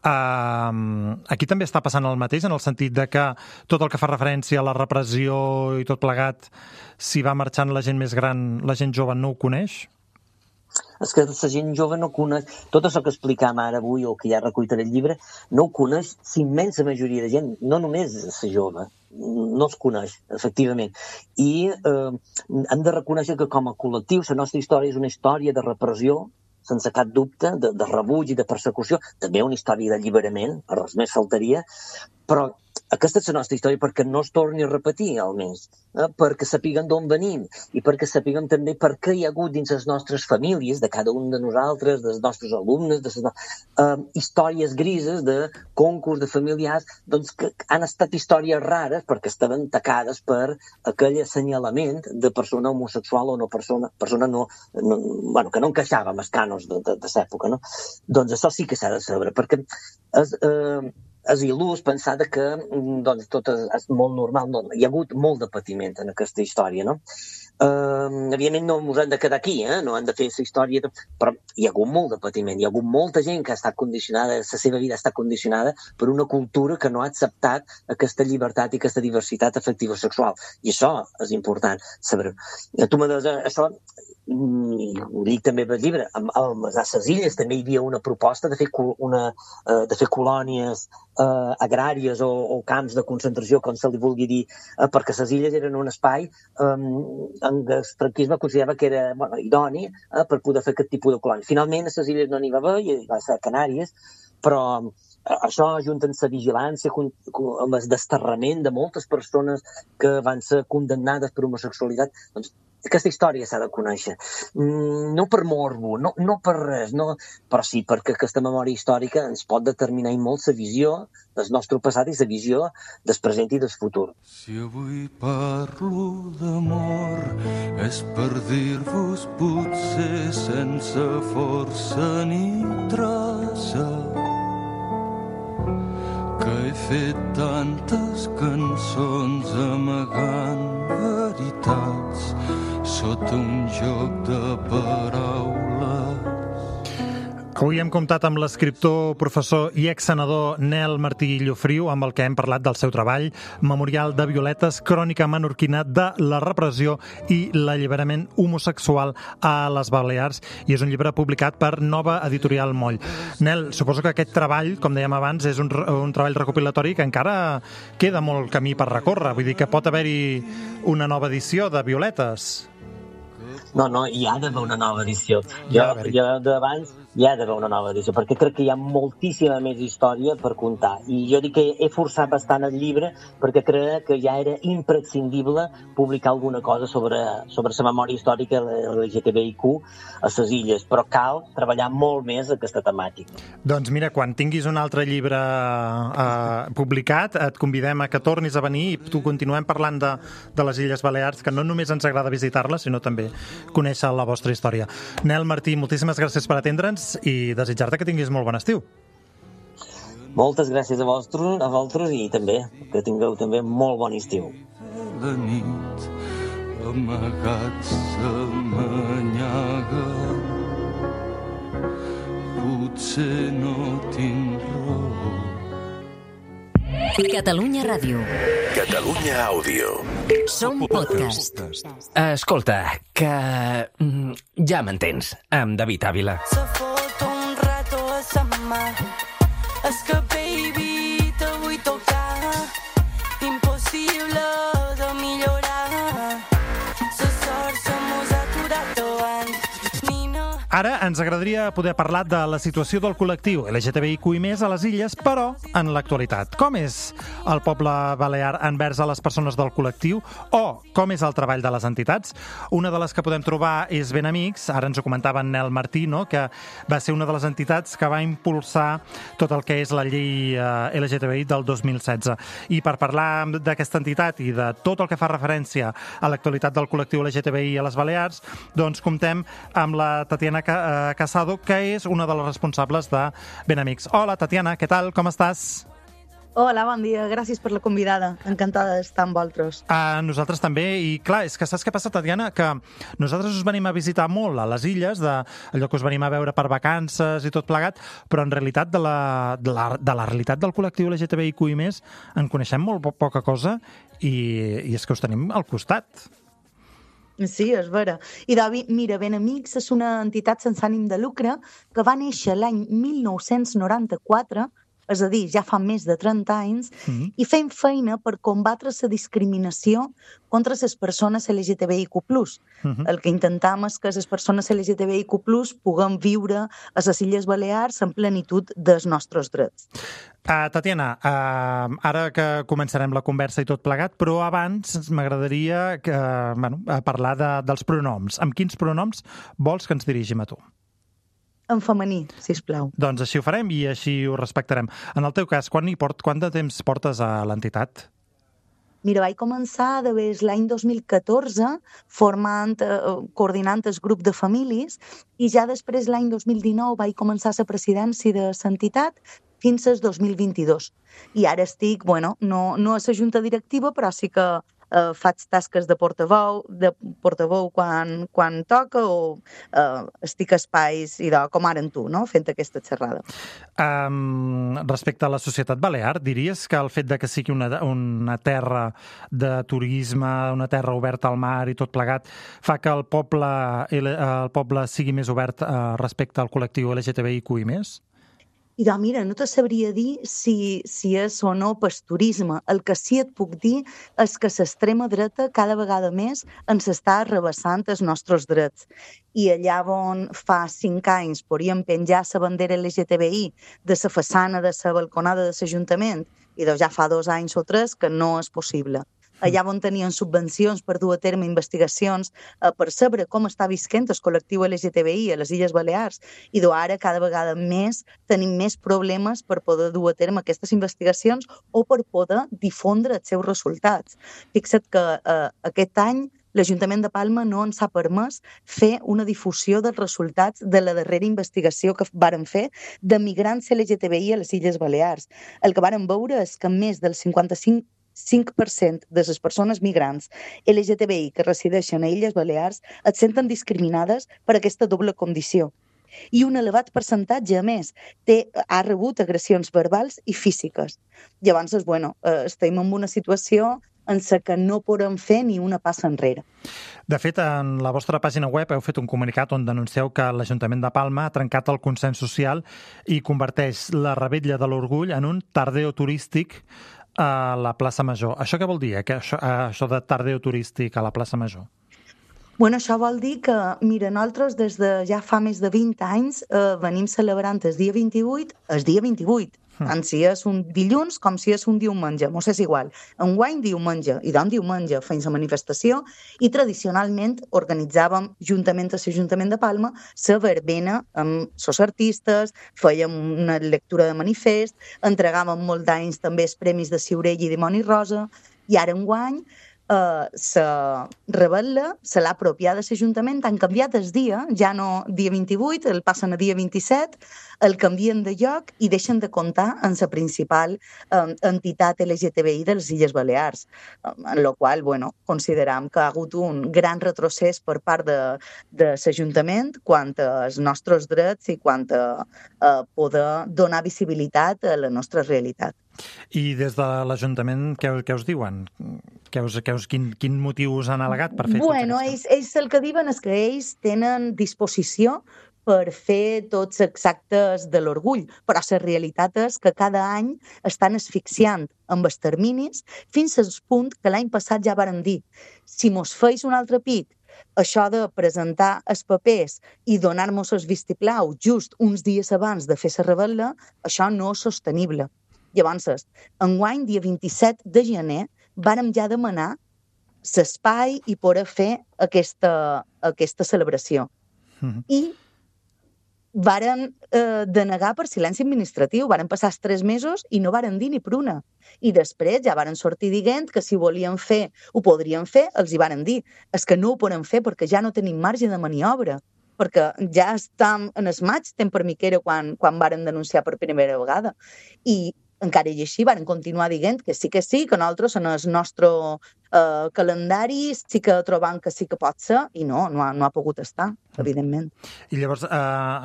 Uh, aquí també està passant el mateix, en el sentit de que tot el que fa referència a la repressió i tot plegat, si va marxant la gent més gran, la gent jove no ho coneix? És que la gent jove no coneix, tot això que explicam ara avui o que ja recollit en el llibre, no ho coneix l'immensa majoria de gent, no només la jove, no es coneix, efectivament. I eh, hem de reconèixer que com a col·lectiu la nostra història és una història de repressió, sense cap dubte, de, de rebuig i de persecució, també una història d'alliberament, res més faltaria, però aquesta és la nostra història perquè no es torni a repetir, almenys, eh? perquè sapiguem d'on venim i perquè sapiguem també per què hi ha hagut dins les nostres famílies, de cada un de nosaltres, dels nostres alumnes, de les, eh, històries grises de concurs de familiars, doncs que han estat històries rares perquè estaven tacades per aquell assenyalament de persona homosexual o no persona, persona no, no, bueno, que no encaixava amb els cànons de, de, de l'època, no? Doncs això sí que s'ha de saber, perquè és... Eh, és il·lús pensar que doncs, tot és, és molt normal. No, hi ha hagut molt de patiment en aquesta història, no? Uh, evidentment no ens hem de quedar aquí, eh? No hem de fer la història, de... però hi ha hagut molt de patiment, hi ha hagut molta gent que ha estat condicionada, la seva vida ha estat condicionada per una cultura que no ha acceptat aquesta llibertat i aquesta diversitat afectiva sexual. I això és important saber. Tu me dius, això i ho dic també pel llibre, a, a les illes també hi havia una proposta de fer, una, uh, de fer colònies uh, agràries o, o camps de concentració, com se li vulgui dir, uh, perquè les illes eren un espai um, en què el franquisme considerava que era bueno, idoni uh, per poder fer aquest tipus de colònia. Finalment, a les illes no n'hi va haver, i va ser a Canàries, però això, junt amb la vigilància, amb el desterrament de moltes persones que van ser condemnades per homosexualitat, doncs aquesta història s'ha de conèixer. No per morbo, no, no per res, no, però sí perquè aquesta memòria històrica ens pot determinar i molt la visió del nostre passat i la visió del present i del futur. Si avui parlo d'amor és per dir-vos potser sense força ni traça que he fet tantes cançons amagant veritats sota un joc de paraules. Avui hem comptat amb l'escriptor, professor i exsenador Nel Martí Llofriu, amb el que hem parlat del seu treball, Memorial de Violetes, crònica menorquina de la repressió i l'alliberament homosexual a les Balears, i és un llibre publicat per Nova Editorial Moll. Nel, suposo que aquest treball, com dèiem abans, és un, un treball recopilatori que encara queda molt camí per recórrer, vull dir que pot haver-hi una nova edició de Violetes. No, no, hi ha d'haver una nova edició. Jo, jo d'abans hi ha d'haver una nova edició, perquè crec que hi ha moltíssima més història per contar. I jo dic que he forçat bastant el llibre perquè crec que ja era imprescindible publicar alguna cosa sobre, sobre la memòria històrica de l'L G T B I Q a les illes, però cal treballar molt més aquesta temàtica. Doncs mira, quan tinguis un altre llibre eh, publicat, et convidem a que tornis a venir i tu continuem parlant de, de les Illes Balears, que no només ens agrada visitar-les, sinó també conèixer la vostra història. Nel Martí, moltíssimes gràcies per atendre'ns i desitjar-te que tinguis molt bon estiu. Moltes gràcies a vosaltres, a vosaltres i també que tingueu també molt bon estiu. La nit amagats s'amanyaga, potser no tinc raó. Catalunya Ràdio. Catalunya Àudio. Som podcast. Escolta, que mm, ja m'entens, amb David Ávila. Se fot un rato a sa mà. És que, baby, te vull tocar. Impossible de millorar. La sort se mos ha aturat davant. Ara ens agradaria poder parlar de la situació del col·lectiu L G T B I Q i més a les illes, però en l'actualitat. Com és el poble balear envers a les persones del col·lectiu o com és el treball de les entitats? Una de les que podem trobar és Ben Amics, ara ens ho comentava en Nel Martí, no? Que va ser una de les entitats que va impulsar tot el que és la llei eh, L G T B I del dos mil setze. I per parlar d'aquesta entitat i de tot el que fa referència a l'actualitat del col·lectiu L G T B I a les Balears, doncs comptem amb la Tatiana Casado, que és una de les responsables de Ben Amics. Hola, Tatiana, què tal? Com estàs? Hola, bon dia. Gràcies per la convidada. Encantada d'estar amb vosaltres. A nosaltres també. I clar, és que saps què passa, Tatiana? Que nosaltres us venim a visitar molt a les illes, de allò que us venim a veure per vacances i tot plegat, però en realitat de la, de la, de la realitat del col·lectiu L G T B I Q i més en coneixem molt poca cosa i, i és que us tenim al costat. Sí, és vera. I David, mira, Ben Amics és una entitat sense ànim de lucre que va néixer l'any mil nou-cents noranta-quatre, és a dir, ja fa més de trenta anys, mm-hmm. i fem feina per combatre la discriminació contra les persones L G T B I Q plus. Mm-hmm. El que intentam és que les persones L G T B I Q plus puguem viure a les Illes Balears en plenitud dels nostres drets. Uh, Tatiana, uh, ara que començarem la conversa i tot plegat, però abans m'agradaria que, uh, bueno, parlar de, dels pronoms. Amb quins pronoms vols que ens dirigim a tu? En femení, sisplau. Doncs així ho farem i així ho respectarem. En el teu cas, quan, hi port, quant de temps portes a l'entitat? Mira, vaig començar de des l'any dos mil catorze formant, eh, coordinant el grup de famílies i ja després l'any dos mil dinou vaig començar la presidència de l'entitat fins al dos mil vint-i-dos. I ara estic, bueno, no, no a la junta directiva, però sí que eh, faig tasques de portaveu, de portaveu quan, quan toca o eh, estic a espais i de, com ara en tu, no? Fent aquesta xerrada. Um, respecte a la societat balear, diries que el fet de que sigui una, una terra de turisme, una terra oberta al mar i tot plegat, fa que el poble, el, el poble sigui més obert uh, respecte al col·lectiu L G T B I Q i més? I doncs, mira, no te sabria dir si, si és o no pas turisme. El que sí et puc dir és que l'extrema dreta cada vegada més ens està arrabassant els nostres drets. I allà on fa cinc anys podíem penjar la bandera L G T B I de la façana de la balconada de l'Ajuntament, i doncs ja fa dos anys o tres que no és possible. Allà on tenien subvencions per dur a terme investigacions eh, per saber com està visquent el col·lectiu L G T B I a les Illes Balears. I ara cada vegada més tenim més problemes per poder dur a terme aquestes investigacions o per poder difondre els seus resultats. Fixa't que eh, aquest any l'Ajuntament de Palma no ens ha permès fer una difusió dels resultats de la darrera investigació que varen fer de migrants L G T B I a les Illes Balears. El que varen veure és que més del cinquanta-cinc cinc per cent de les persones migrants L G T B I que resideixen a Illes Balears et senten discriminades per aquesta doble condició. I un elevat percentatge, a més, té, ha rebut agressions verbals i físiques. Llavors, bueno, eh, estem en una situació en la que no podem fer ni una passa enrere. De fet, en la vostra pàgina web heu fet un comunicat on denuncieu que l'Ajuntament de Palma ha trencat el consens social i converteix la Revetlla de l'Orgull en un tardeo turístic a la plaça Major. Això què vol dir, eh? això, això de tardeo turístic a la plaça Major? Bueno, això vol dir que, mira, nosaltres des de ja fa més de vint anys eh, venim celebrant el dia vint-i-vuit, el dia vint-i-vuit, mm. tant si és un dilluns com si és un diumenge, mos és igual. Enguany diumenge, i d'on diumenge fem la manifestació, i tradicionalment organitzàvem, juntament a l'Ajuntament de Palma, la verbena amb els artistes, fèiem una lectura de manifest, entregàvem molt d'anys també els premis de Ciurell i Dimoni Rosa, i ara enguany Uh, la Revetlla se l'ha apropiada de l'Ajuntament, han canviat el dia, ja no dia vint-i-vuit, el passen a dia vint-i-set, el canvien de lloc i deixen de comptar en la principal um, entitat L G T B I de les Illes Balears, um, en la qual, bueno, consideram que ha hagut un gran retrocés per part de, de l'Ajuntament quant als nostres drets i quant a uh, poder donar visibilitat a la nostra realitat. I des de l'Ajuntament què, què us diuen? Què us, què us, quin, quin motiu us han al·legat per fer bueno, tot ells, ells el que diuen és que ells tenen disposició per fer tots els actes de l'orgull, però la realitat és que cada any estan asfixiant amb els terminis fins al punt que l'any passat ja varen dir si mos feis un altre pic això de presentar els papers i donar-nos el vistiplau just uns dies abans de fer la revetlla, això no és sostenible. Llavors, enguany, dia vint-i-set de gener, vàrem ja demanar l'espai i poder fer aquesta, aquesta celebració. Mm-hmm. I varen eh, denegar per silenci administratiu. Varen passar els tres mesos i no varen dir ni per una. I després ja varen sortir dient que si volien fer, ho podrien fer, els hi varen dir. És que no ho podem fer perquè ja no tenim marge de maniobra. Perquè ja estem en el maig, temps que era quan, quan varen denunciar per primera vegada. I encara i així varen continuar dient que sí que sí, que nosaltres en el nostre eh, calendari sí que trobam que sí que pot ser, i no, no ha, no ha pogut estar, evidentment. I llavors, eh,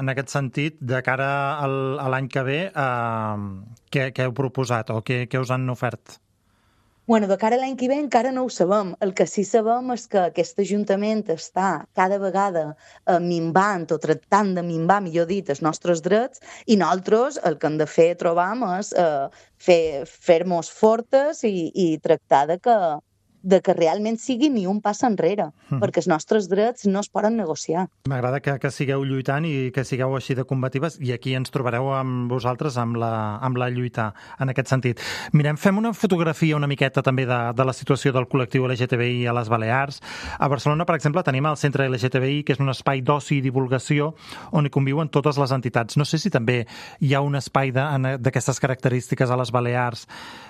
en aquest sentit, de cara al, a l'any que ve, eh, què, què heu proposat o què, què us han ofert? Bueno, de cara a l'any que ve encara no ho sabem. El que sí sabem és que aquest Ajuntament està cada vegada eh, minvant o tractant de minvar, millor dit, els nostres drets, i nosaltres el que hem de fer, trobam, és eh, fer, fer-nos fortes i, i tractar de que, de que realment sigui ni un pas enrere, mm. perquè els nostres drets no es poden negociar. M'agrada que, que sigueu lluitant i que sigueu així de combatives, i aquí ens trobareu amb vosaltres amb la, amb la lluita en aquest sentit. Mirem, fem una fotografia una miqueta també de, de la situació del col·lectiu L G T B I a les Balears. A Barcelona, per exemple, tenim el Centre L G T B I, que és un espai d'oci i divulgació on hi conviuen totes les entitats. No sé si també hi ha un espai d'aquestes característiques a les Balears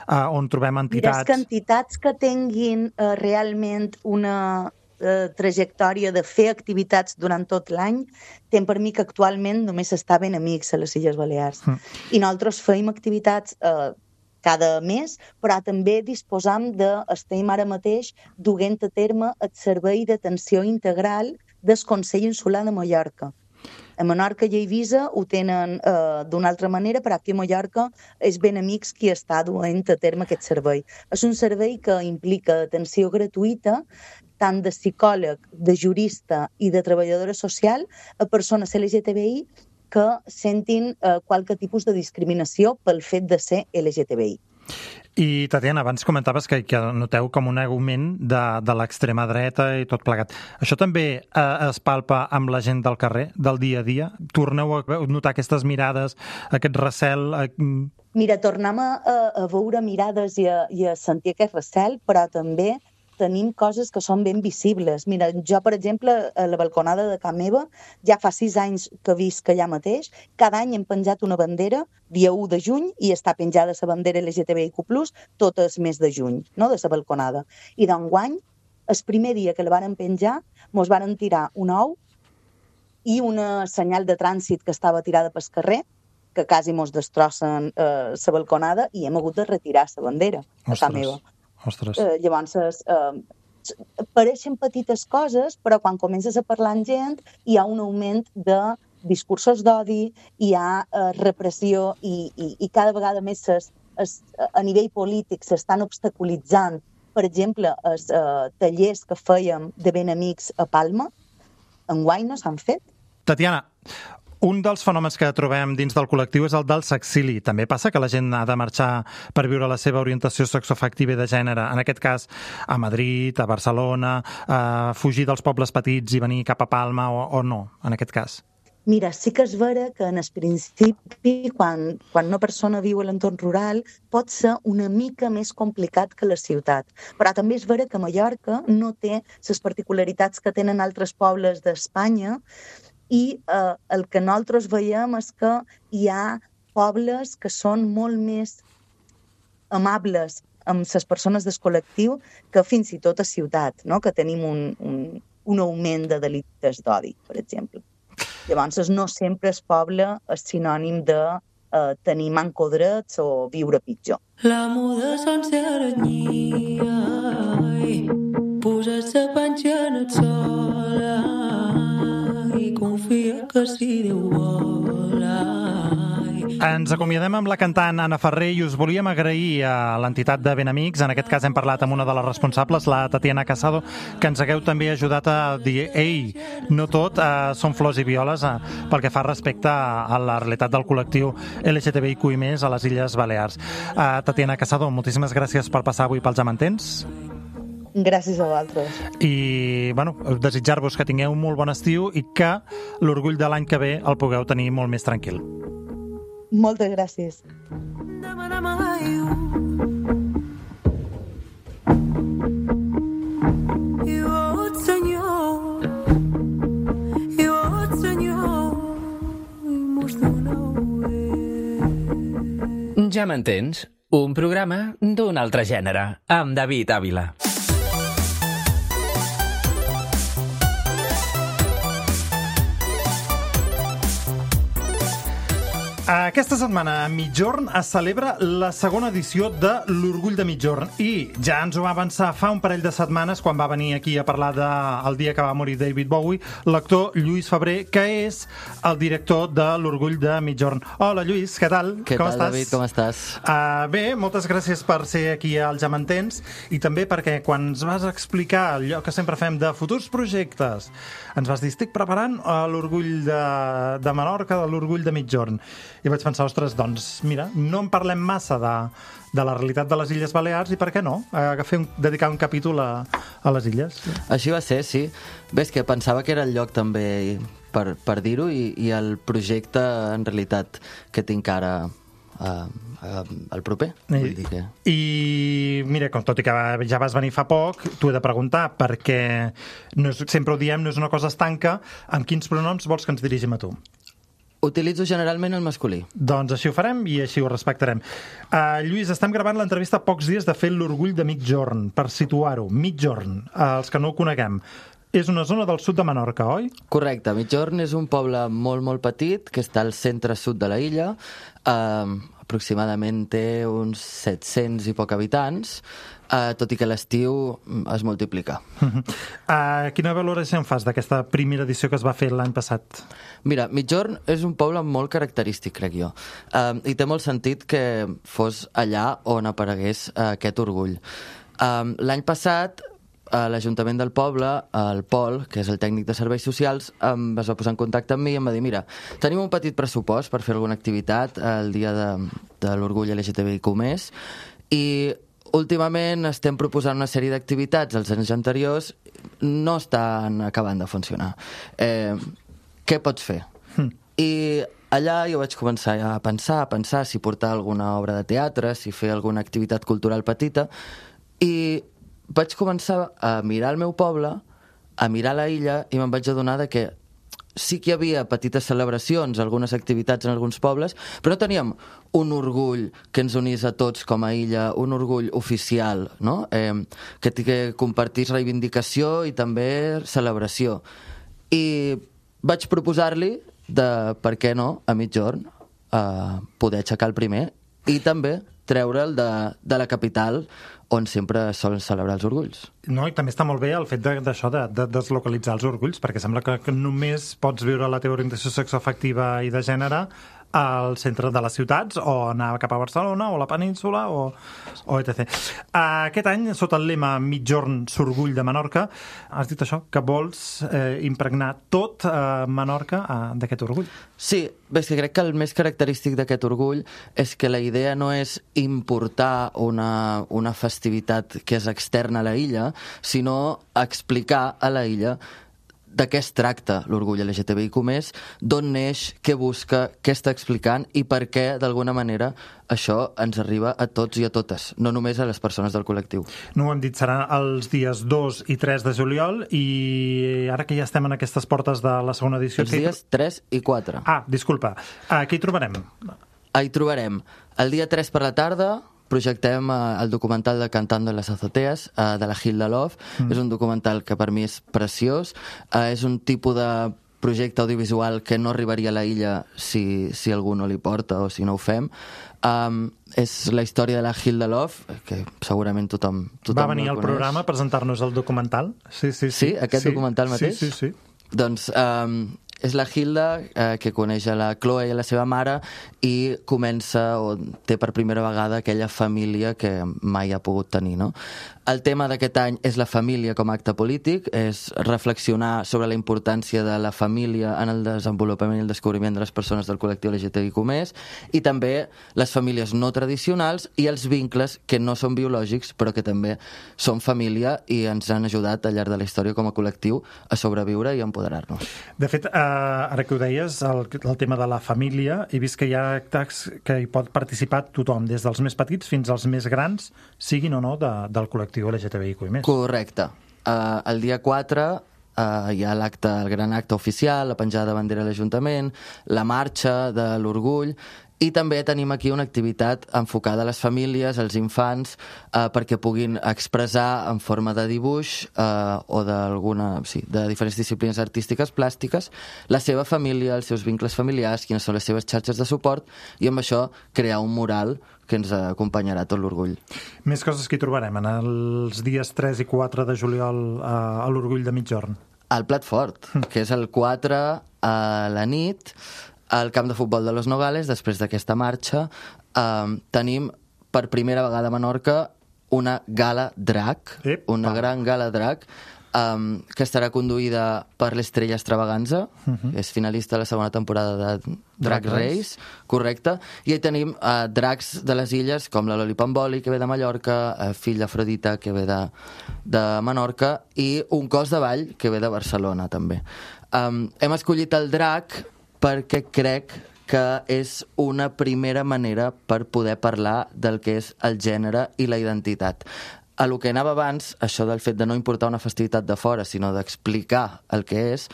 eh, on trobem entitats... Mira, és que entitats que tinguin Uh, realment una uh, trajectòria de fer activitats durant tot l'any, ten per mi que actualment només està ben amics a les Illes Balears. Mm. I nosaltres feim activitats uh, cada mes, però també disposam de, estem ara mateix duent a terme el servei d'atenció integral del Consell Insular de Mallorca. A Menorca i a Eivissa ho tenen eh, d'una altra manera, però aquí a Mallorca és Benamics qui està duent a terme aquest servei. És un servei que implica atenció gratuïta tant de psicòleg, de jurista i de treballadora social a persones L G T B I que sentin eh, qualque tipus de discriminació pel fet de ser L G T B I. I, Tatiana, abans comentaves que, que noteu com un augment de, de l'extrema dreta i tot plegat. Això també eh, es palpa amb la gent del carrer, del dia a dia? Torneu a notar aquestes mirades, aquest recel? Eh... Mira, tornem a, a veure mirades i a, i a sentir aquest recel, però també tenim coses que són ben visibles. Mira, jo, per exemple, a la balconada de casa meva, ja fa sis anys que visc allà mateix, cada any hem penjat una bandera, dia u de juny, i està penjada la bandera L G T B I Q plus, tot el mes de juny, no?, de la balconada. I d'enguany, el primer dia que la varen penjar, mos varen tirar un ou i una senyal de trànsit que estava tirada pel carrer, que quasi mos destrossen eh, la balconada, i hem hagut de retirar la bandera a casa meva. Ostres. Eh, llavors, eh, pareixen petites coses, però quan comences a parlar amb gent hi ha un augment de discursos d'odi, hi ha eh, repressió i, i, i cada vegada més ses, es, a nivell polític s'estan obstaculitzant, per exemple, els eh, tallers que fèiem de Benamics a Palma, enguany no s'han fet. Tatiana, un dels fenòmens que trobem dins del col·lectiu és el del sexili. També passa que la gent ha de marxar per viure la seva orientació sexoafectiva i de gènere, en aquest cas a Madrid, a Barcelona, a fugir dels pobles petits i venir cap a Palma o, o no, en aquest cas? Mira, sí que és vera que en el principi, quan, quan una persona viu a l'entorn rural, pot ser una mica més complicat que la ciutat. Però també és vera que Mallorca no té les particularitats que tenen altres pobles d'Espanya, i eh, el que nosaltres veiem és que hi ha pobles que són molt més amables amb les persones del col·lectiu que fins i tot a ciutat, no?, que tenim un, un, un augment de delictes d'odi, per exemple. Llavors, no sempre el poble és sinònim de eh, tenir manco drets o viure pitjor. La muda sense aranyia, posar-se panxa en el sol, i confia que si Déu vol. Ens acomiadem amb la cantant Anna Ferrer i us volíem agrair a l'entitat de Benamics. En aquest cas hem parlat amb una de les responsables, la Tatiana Casado, que ens hagueu també ajudat a dir ei, no tot eh, són flors i violes eh, pel que fa respecte a la realitat del col·lectiu L G T B I Q i més a les Illes Balears. Eh, Tatiana Casado, moltíssimes gràcies per passar avui pels Amantens. Gràcies a vosaltres. I, bueno, desitjar-vos que tingueu un molt bon estiu i que l'orgull de l'any que ve el pugueu tenir molt més tranquil. Moltes gràcies. Ja m'entens? Un programa d'un altre gènere, amb David Ávila. Aquesta setmana a Migjorn es celebra la segona edició de l'Orgull de Migjorn i ja ens ho va avançar fa un parell de setmanes quan va venir aquí a parlar del dia que va morir David Bowie, l'actor Lluís Febrer, que és el director de l'Orgull de Migjorn. Hola Lluís, què tal? Què com tal, estàs? David? Com estàs? Uh, bé, moltes gràcies per ser aquí al Ja m'entens i també perquè quan ens vas explicar allò que sempre fem de futurs projectes, ens vas dir, estic preparant l'Orgull de, de Menorca, de l'Orgull de Migjorn. I vaig pensar, ostres, doncs, mira, no en parlem massa de, de la realitat de les Illes Balears i per què no? A fer un, dedicar un capítol a, a les illes. Així va ser, sí. Bé, és que pensava que era el lloc també per, per dir-ho i, i el projecte, en realitat, que tinc ara uh, uh, el proper. I, vull dir que... I mira, com tot i que ja vas venir fa poc, t'ho he de preguntar, perquè no és, sempre ho diem, no és una cosa estanca, amb quins pronoms vols que ens dirigim a tu? Utilitzo generalment el masculí. Doncs així ho farem i així ho respectarem. Uh, Lluís, estem gravant l'entrevista a pocs dies de fer l'Orgull de Migjorn, per situar-ho. Migjorn, uh, els que no ho coneguem. és una zona del sud de Menorca, oi? Correcte. Migjorn és un poble molt, molt petit que està al centre-sud de la illa. Uh, aproximadament té uns set-cents i poc habitants, uh, tot i que l'estiu es multiplica. Uh, quina valoració en fas d'aquesta primera edició que es va fer l'any passat? Mira, Migjorn és un poble molt característic, crec jo. Uh, I té molt sentit que fos allà on aparegués uh, aquest orgull. Uh, l'any passat, a l'Ajuntament del poble, el Pol, que és el tècnic de serveis socials, em es va posar en contacte amb mi i em va dir, mira, tenim un petit pressupost per fer alguna activitat el dia de, de l'orgull L G T B I Q més, i últimament estem proposant una sèrie d'activitats, els anys anteriors no estan acabant de funcionar. Eh, què pots fer? Mm. I allà jo vaig començar a pensar, a pensar si portar alguna obra de teatre, si fer alguna activitat cultural petita, i vaig començar a mirar el meu poble, a mirar la illa, i me'n vaig adonar de que sí que hi havia petites celebracions, algunes activitats en alguns pobles, però no teníem un orgull que ens unís a tots com a illa, un orgull oficial, no? eh, que, que compartís reivindicació i també celebració. I vaig proposar-li de, per què no, a Migjorn, eh, poder aixecar el primer i també treure'l de, de la capital, on sempre solen celebrar els orgulls. No, i també està molt bé el fet d'això, de, de, de deslocalitzar els orgulls, perquè sembla que, que només pots viure la teva orientació sexoafectiva i de gènere al centre de les ciutats, o anar cap a Barcelona, o a la península, o, o et cetera. Aquest any, sota el lema Migjorn s'orgull de Menorca, has dit això, que vols eh, impregnar tot eh, Menorca eh, d'aquest orgull. Sí, bé, és que crec que el més característic d'aquest orgull és que la idea no és importar una, una festivitat que és externa a la illa, sinó explicar a la illa de què es tracta l'orgull L G T B I Q més, d'on neix, què busca, què està explicant i per què, d'alguna manera, això ens arriba a tots i a totes, no només a les persones del col·lectiu. No ho hem dit, serà els dies dos i tres de juliol, i ara que ja estem en aquestes portes de la segona edició... Els dies tres i quatre. Ah, disculpa. Aquí hi trobarem? Hi trobarem el dia tres per la tarda. Projectem uh, el documental de Cantando en las azoteas, uh, de la Hilda Love. Mm. És un documental que per mi és preciós. Uh, és un tipus de projecte audiovisual que no arribaria a la illa si, si algú no li porta o si no ho fem. Um, és la història de la Hilda Love, que segurament tothom, tothom va venir al programa a presentar-nos el documental. Sí, sí, sí. Sí, aquest sí, documental mateix? Sí, sí, sí. Doncs um, és la Hilda eh, que coneix a la Chloe i a la seva mare i comença o té per primera vegada aquella família que mai ha pogut tenir, no? El tema d'aquest any és la família com a acte polític, és reflexionar sobre la importància de la família en el desenvolupament i el descobriment de les persones del col·lectiu L G T B I Q més, i també les famílies no tradicionals i els vincles que no són biològics però que també són família i ens han ajudat al llarg de la història com a col·lectiu a sobreviure i a empoderar-nos. De fet, eh, ara que ho deies, el, el tema de la família, he vist que hi ha actes que hi pot participar tothom, des dels més petits fins als més grans, siguin o no de, del col·lectiu L G T B I Q més. Correcte. Uh, el dia quatre uh, hi ha l'acte, el gran acte oficial, la penjada de bandera a l'Ajuntament, la marxa de l'orgull, i també tenim aquí una activitat enfocada a les famílies, als infants, eh, perquè puguin expressar en forma de dibuix eh, o d'alguna, sí, de diferents disciplines artístiques, plàstiques, la seva família, els seus vincles familiars, quines són les seves xarxes de suport, i amb això crear un mural que ens acompanyarà tot l'orgull. Més coses que hi trobarem en els dies tres i quatre de juliol eh, a l'orgull de Migjorn. El plat fort, que és el quatre a la nit, al camp de futbol de Los Nogales, després d'aquesta marxa, eh, tenim per primera vegada a Menorca una gala drac, Epa. una gran gala drac, eh, que estarà conduïda per l'Estrella Extravaganza, uh-huh. és finalista de la segona temporada de Drag, Drag Race, Race, correcte, i hi tenim eh, dracs de les illes, com la Loli Pamboli, que ve de Mallorca, eh, fill d'Afrodita, que ve de, de Menorca, i un cos de ball, que ve de Barcelona, també. Um, hem escollit el drac perquè crec que és una primera manera per poder parlar del que és el gènere i la identitat. A lo que anava abans, això del fet de no importar una festivitat de fora, sinó d'explicar el que és,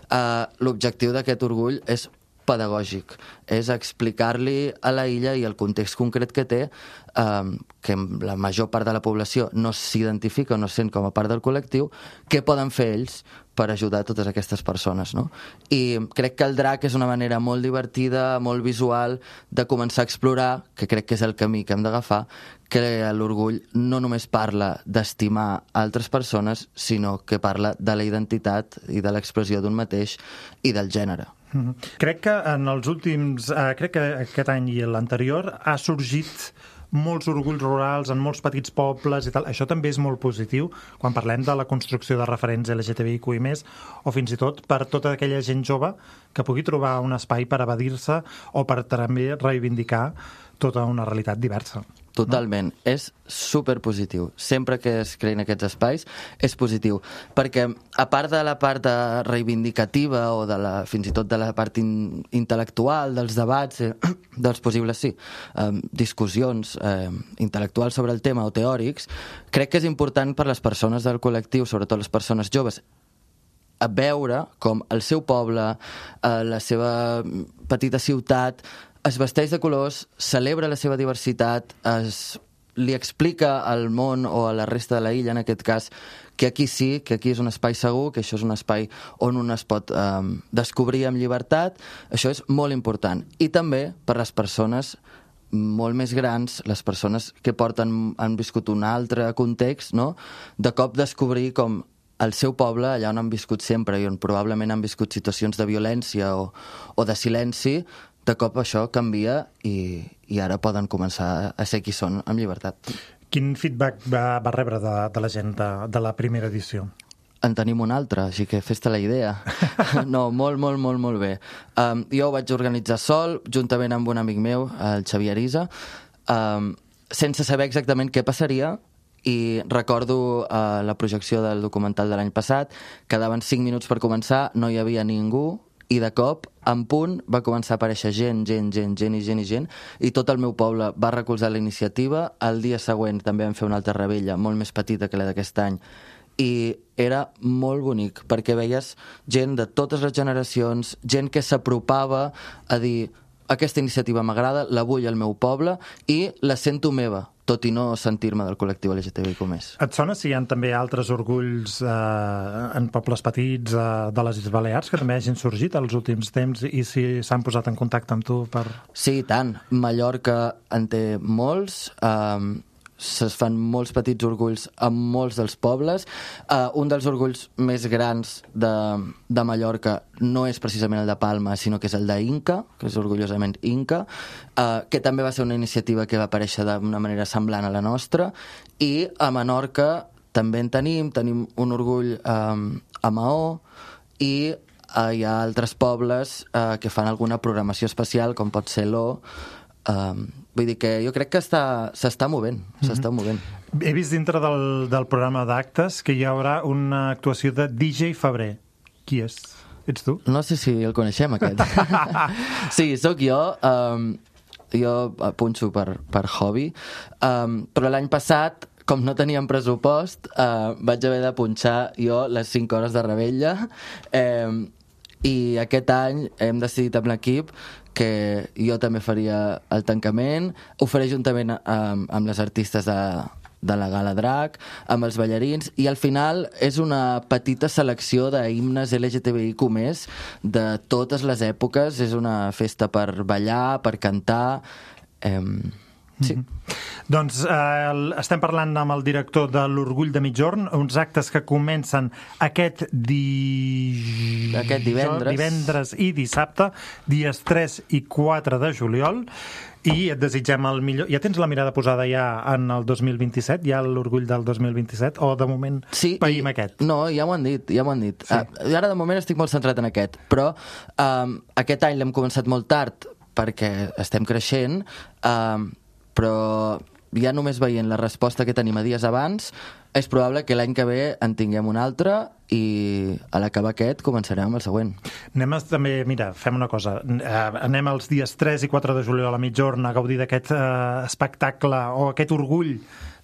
eh, l'objectiu d'aquest orgull és pedagògic, és explicar-li a la illa i el context concret que té, eh, que la major part de la població no s'identifica o no sent com a part del col·lectiu, què poden fer ells per ajudar totes aquestes persones, no? I crec que el drac és una manera molt divertida, molt visual, de començar a explorar, que crec que és el camí que hem d'agafar, que l'orgull no només parla d'estimar altres persones, sinó que parla de la identitat i de l'expressió d'un mateix i del gènere. Mm-hmm. Crec que en els últims... Eh, crec que aquest any i l'anterior ha sorgit molts orgulls rurals en molts petits pobles i tal. Això també és molt positiu quan parlem de la construcció de referents L G T B I Q i més, o fins i tot per tota aquella gent jove que pugui trobar un espai per evadir-se o per també reivindicar tota una realitat diversa. Totalment. No? És superpositiu. Sempre que es creïn aquests espais és positiu. Perquè, a part de la part reivindicativa o de la, fins i tot de la part in, intel·lectual, dels debats, eh, dels possibles, sí, eh, discussions eh, intel·lectuals sobre el tema o teòrics, crec que és important per les persones del col·lectiu, sobretot les persones joves, a veure com el seu poble, eh, la seva petita ciutat, es vesteix de colors, celebra la seva diversitat, es, li explica al món o a la resta de la illa, en aquest cas, que aquí sí, que aquí és un espai segur, que això és un espai on un es pot eh, descobrir amb llibertat. Això és molt important. I també per les persones molt més grans, les persones que porten, han viscut un altre context, no? De cop descobrir com el seu poble, allà on han viscut sempre i on probablement han viscut situacions de violència o, o de silenci, de cop això canvia i, i ara poden començar a ser qui són amb llibertat. Quin feedback va, va rebre de, de la gent de, de la primera edició? En tenim un altre, així que fes-te la idea. No, molt, molt, molt, molt bé. Um, jo ho vaig organitzar sol, juntament amb un amic meu, el Xavier Isa, um, sense saber exactament què passaria, i recordo uh, la projecció del documental de l'any passat, quedaven cinc minuts per començar, no hi havia ningú, i de cop, en punt, va començar a aparèixer gent, gent, gent, gent i gent i gent, i tot el meu poble va recolzar la iniciativa. El dia següent també vam fer una altra rebella, molt més petita que la d'aquest any, i era molt bonic, perquè veies gent de totes les generacions, gent que s'apropava a dir aquesta iniciativa m'agrada, la vull al meu poble i la sento meva, tot i no sentir-me del col·lectiu L G T B I Q més. Et sona si hi ha també altres orgulls eh, en pobles petits eh, de les Illes Balears que també hagin sorgit als últims temps i si s'han posat en contacte amb tu per... Sí, i tant. Mallorca en té molts, eh, es fan molts petits orgulls amb molts dels pobles. Uh, un dels orgulls més grans de, de Mallorca no és precisament el de Palma, sinó que és el d'Inca, que és orgullosament Inca, uh, que també va ser una iniciativa que va aparèixer d'una manera semblant a la nostra, i a Menorca també en tenim, tenim un orgull um, a Maó, i uh, hi ha altres pobles uh, que fan alguna programació especial, com pot ser l'O. Um, vull dir que jo crec que està, s'està movent, mm-hmm. s'està movent. He vist dintre del, del programa d'actes que hi haurà una actuació de D J Febrer. Qui és? Ets tu? No sé si el coneixem, aquest. Sí, sóc jo. Um, jo punxo per, per hobby. Um, però l'any passat, com no teníem pressupost, uh, vaig haver de punxar jo les cinc hores de rebella. Um, I aquest any hem decidit amb l'equip que jo també faria el tancament, ho faré juntament amb, amb les artistes de, de la Gala Drac, amb els ballarins, i al final és una petita selecció d'himnes L G T B I Q més, de totes les èpoques. És una festa per ballar, per cantar... Eh, sí. Mm-hmm. Doncs eh, estem parlant amb el director de l'Orgull de Migjorn, uns actes que comencen aquest, di... aquest divendres. divendres i dissabte, dies tres i quatre de juliol, i et desitgem el millor. Ja tens la mirada posada ja en el dos mil vint-i-set, ja l'Orgull del dos mil vint-i-set, o de moment sí, païm i, aquest? No, ja m'ho han dit, ja m'ho han dit. Sí. Uh, ara de moment estic molt centrat en aquest, però um, aquest any l'hem començat molt tard perquè estem creixent, um, però ja només veient la resposta que tenim a dies abans, és probable que l'any que ve en tinguem un altre i a l'acabar aquest començarem amb el següent. Anem a, també, mira, fem una cosa. Anem els dies tres i quatre de juliol a Migjorn a gaudir d'aquest eh, espectacle o aquest orgull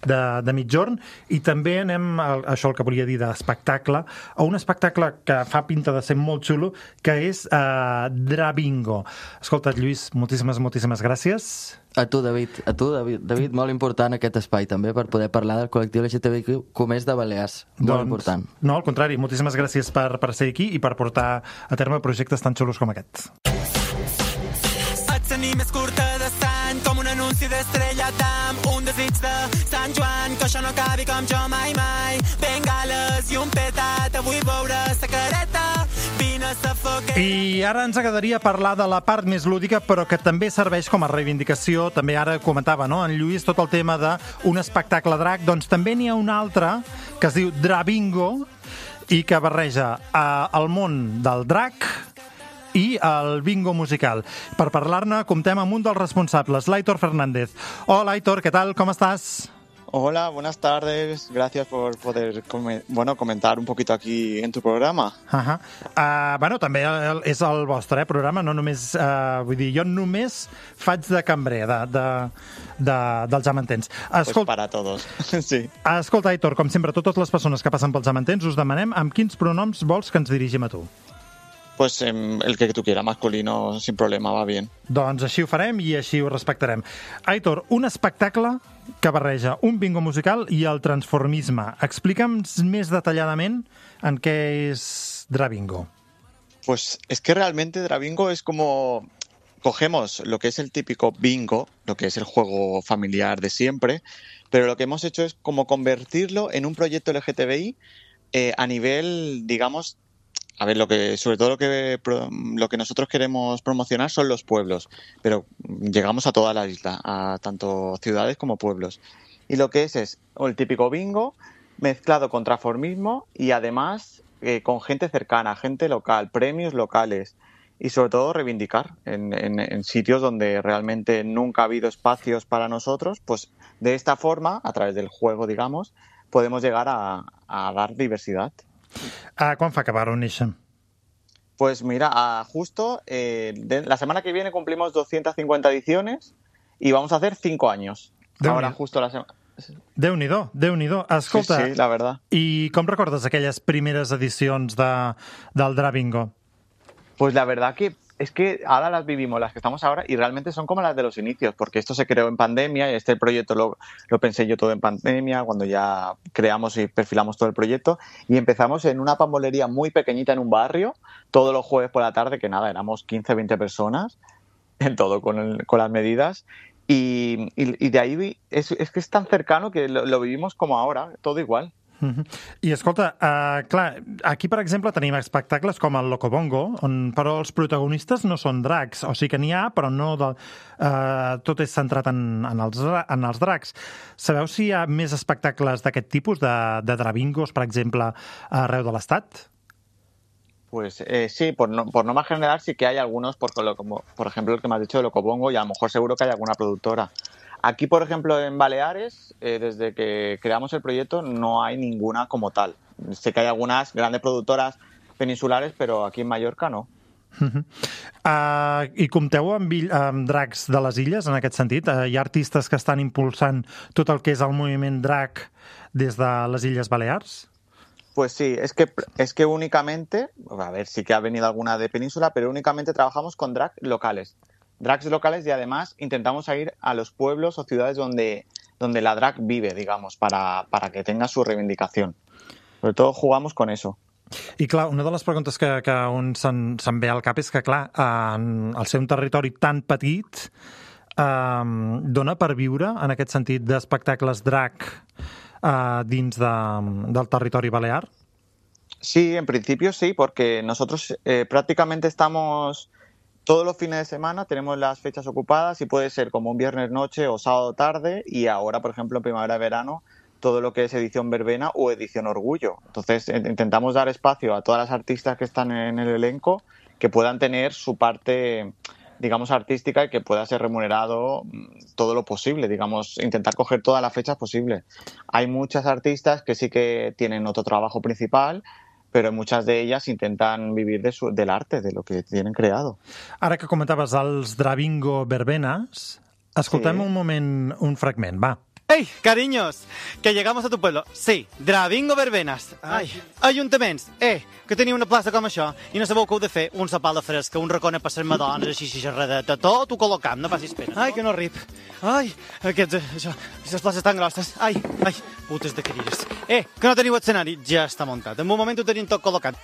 de, de mitjorn, i també anem, a, això el que volia dir d'espectacle, a un espectacle que fa pinta de ser molt xulo, que és uh, Drabingo. Escolta, Lluís, moltíssimes, moltíssimes gràcies. A tu, David, a tu, David, David, molt important aquest espai també per poder parlar del col·lectiu L G T B Q com és de Balears, molt doncs, important. No, al contrari, moltíssimes gràcies per, per ser aquí i per portar a terme projectes tan xulos com aquest. Et tenir més curta de sant, com un anunci d'Estrella Damm, un desig de Sant Joan, que això no acabi com jo mai mai. Bengales i un petat, avui veure sa careta, vine a sa foguera. I ara ens agradaria parlar de la part més lúdica, però que també serveix com a reivindicació. També ara comentava, no?, en Lluís, tot el tema d'un espectacle drac. Doncs també n'hi ha un altre que es diu Drabingo i que barreja eh, el món del drac i el bingo musical. Per parlar-ne, comptem amb un dels responsables, l'Aitor Fernández. Hola, Aitor, ¿qué tal? ¿Cómo estás? Hola, buenas tardes. Gracias por poder com- bueno, comentar un poquito aquí en tu programa. Uh-huh. Uh, bueno, també el, és el vostre eh, programa, no només... Uh, vull dir, jo només faig de cambrer de, de, de, dels Jamantens. Escolta, pues para todos, sí. Escolta, Aitor, com sempre, totes les persones que passen pels Jamantens us demanem amb quins pronoms vols que ens dirigim a tu. Pues eh, el que tu quieras, masculino, sin problema, va bien. Doncs així ho farem i així ho respectarem. Aitor, un espectacle que barreja un bingo musical i el transformisme. Explica'ns més detalladament en què és Drabingo. Pues es que realmente Drabingo es como... Cogemos lo que es el típico bingo, lo que es el juego familiar de siempre, pero lo que hemos hecho es como convertirlo en un proyecto L G T B I eh, a nivel, digamos... A ver, lo que, sobre todo lo que, lo que nosotros queremos promocionar son los pueblos, pero llegamos a toda la isla, a tanto ciudades como pueblos. Y lo que es es el típico bingo mezclado con transformismo y además eh, con gente cercana, gente local, premios locales y sobre todo reivindicar en, en, en sitios donde realmente nunca ha habido espacios para nosotros, pues de esta forma, a través del juego, digamos, podemos llegar a, a dar diversidad. Ah, ¿cuándo fue acabar un issue? Pues mira, ah, justo eh, de, la semana que viene cumplimos doscientas cincuenta ediciones y vamos a hacer cinco años. Déu Ahora justo la semana... Déu-n'hi-do, Déu-n'hi-do. Escolta, sí, sí, la verdad. I com recordes aquelles primeres edicions de, del Drabingo? Pues la verdad que es que ahora las vivimos, las que estamos ahora, y realmente son como las de los inicios, porque esto se creó en pandemia y este proyecto lo, lo pensé yo todo en pandemia, cuando ya creamos y perfilamos todo el proyecto, y empezamos en una pambolería muy pequeñita en un barrio, todos los jueves por la tarde, que nada, éramos quince, veinte personas, en todo con, el, con las medidas, y, y, y de ahí es, es que es tan cercano que lo, lo vivimos como ahora, todo igual. Uh-huh. I escolta, uh, clar, aquí per exemple tenim espectacles com el Locobongo, on però els protagonistes no són dracs, o sigui que n'hi ha, però no del, uh, tot és centrat en, en, els, en els dracs. Sabeu si hi ha més espectacles d'aquest tipus, de, de Drabingos, per exemple, arreu de l'Estat? Pues eh, sí, por, no, por norma general sí que hay algunos, por, como, por ejemplo el que me has dicho de Locobongo, y a lo mejor seguro que hay alguna productora. Aquí, por ejemplo, en Baleares, eh, desde que creamos el proyecto, no hay ninguna como tal. Sé que hay algunas grandes productoras peninsulares, pero aquí en Mallorca no. Uh-huh. Uh, I compteu amb, amb dracs de les illes, en aquest sentit? Uh, hi ha artistes que estan impulsant tot el que és el moviment drac des de les Illes Balears? Pues sí, es que, es que únicamente, a ver, sí que ha venido alguna de península, pero únicamente trabajamos con drag locales. Drags locales y además intentamos ir a los pueblos o ciudades donde, donde la drag vive, digamos, para, para que tenga su reivindicación. Sobre todo jugamos con eso. I clar, una de les preguntes que, que un se'n, se'n ve al cap és que, clar, en, al ser un territori tan petit, eh, dona per viure, en aquest sentit, d'espectacles drag eh, dins de, del territori balear? Sí, en principio sí, porque nosotros eh, prácticamente estamos... Todos los fines de semana tenemos las fechas ocupadas y puede ser como un viernes noche o sábado tarde, y ahora, por ejemplo, en primavera-verano, todo lo que es edición verbena o edición orgullo. Entonces intentamos dar espacio a todas las artistas que están en el elenco, que puedan tener su parte, digamos, artística y que pueda ser remunerado todo lo posible, digamos, intentar coger todas las fechas posibles. Hay muchas artistas que sí que tienen otro trabajo principal, però muchas de ellas intentan vivir de su, del arte, de lo que tienen creado. Ara que comentaves els Drabingo verbenes, escoltem sí. un moment, un fragment, va. ¡Ey, cariños! Que llegamos a tu pueblo. Sí, Dravingo Verbenas. Ai, ajuntaments. Eh, que teniu una plaça com això i no sabeu què heu de fer? Un sopar de fresca, un racó per ser madones, així, xerradeta, tot ho col·locam, no facis pena. Ai, que no rip. Ai, aquests, això, aquestes places tan grosses. Ai, ai, putes de cadires. Eh, que no teniu escenari? Ja està muntat. En un moment ho tenim tot col·locat.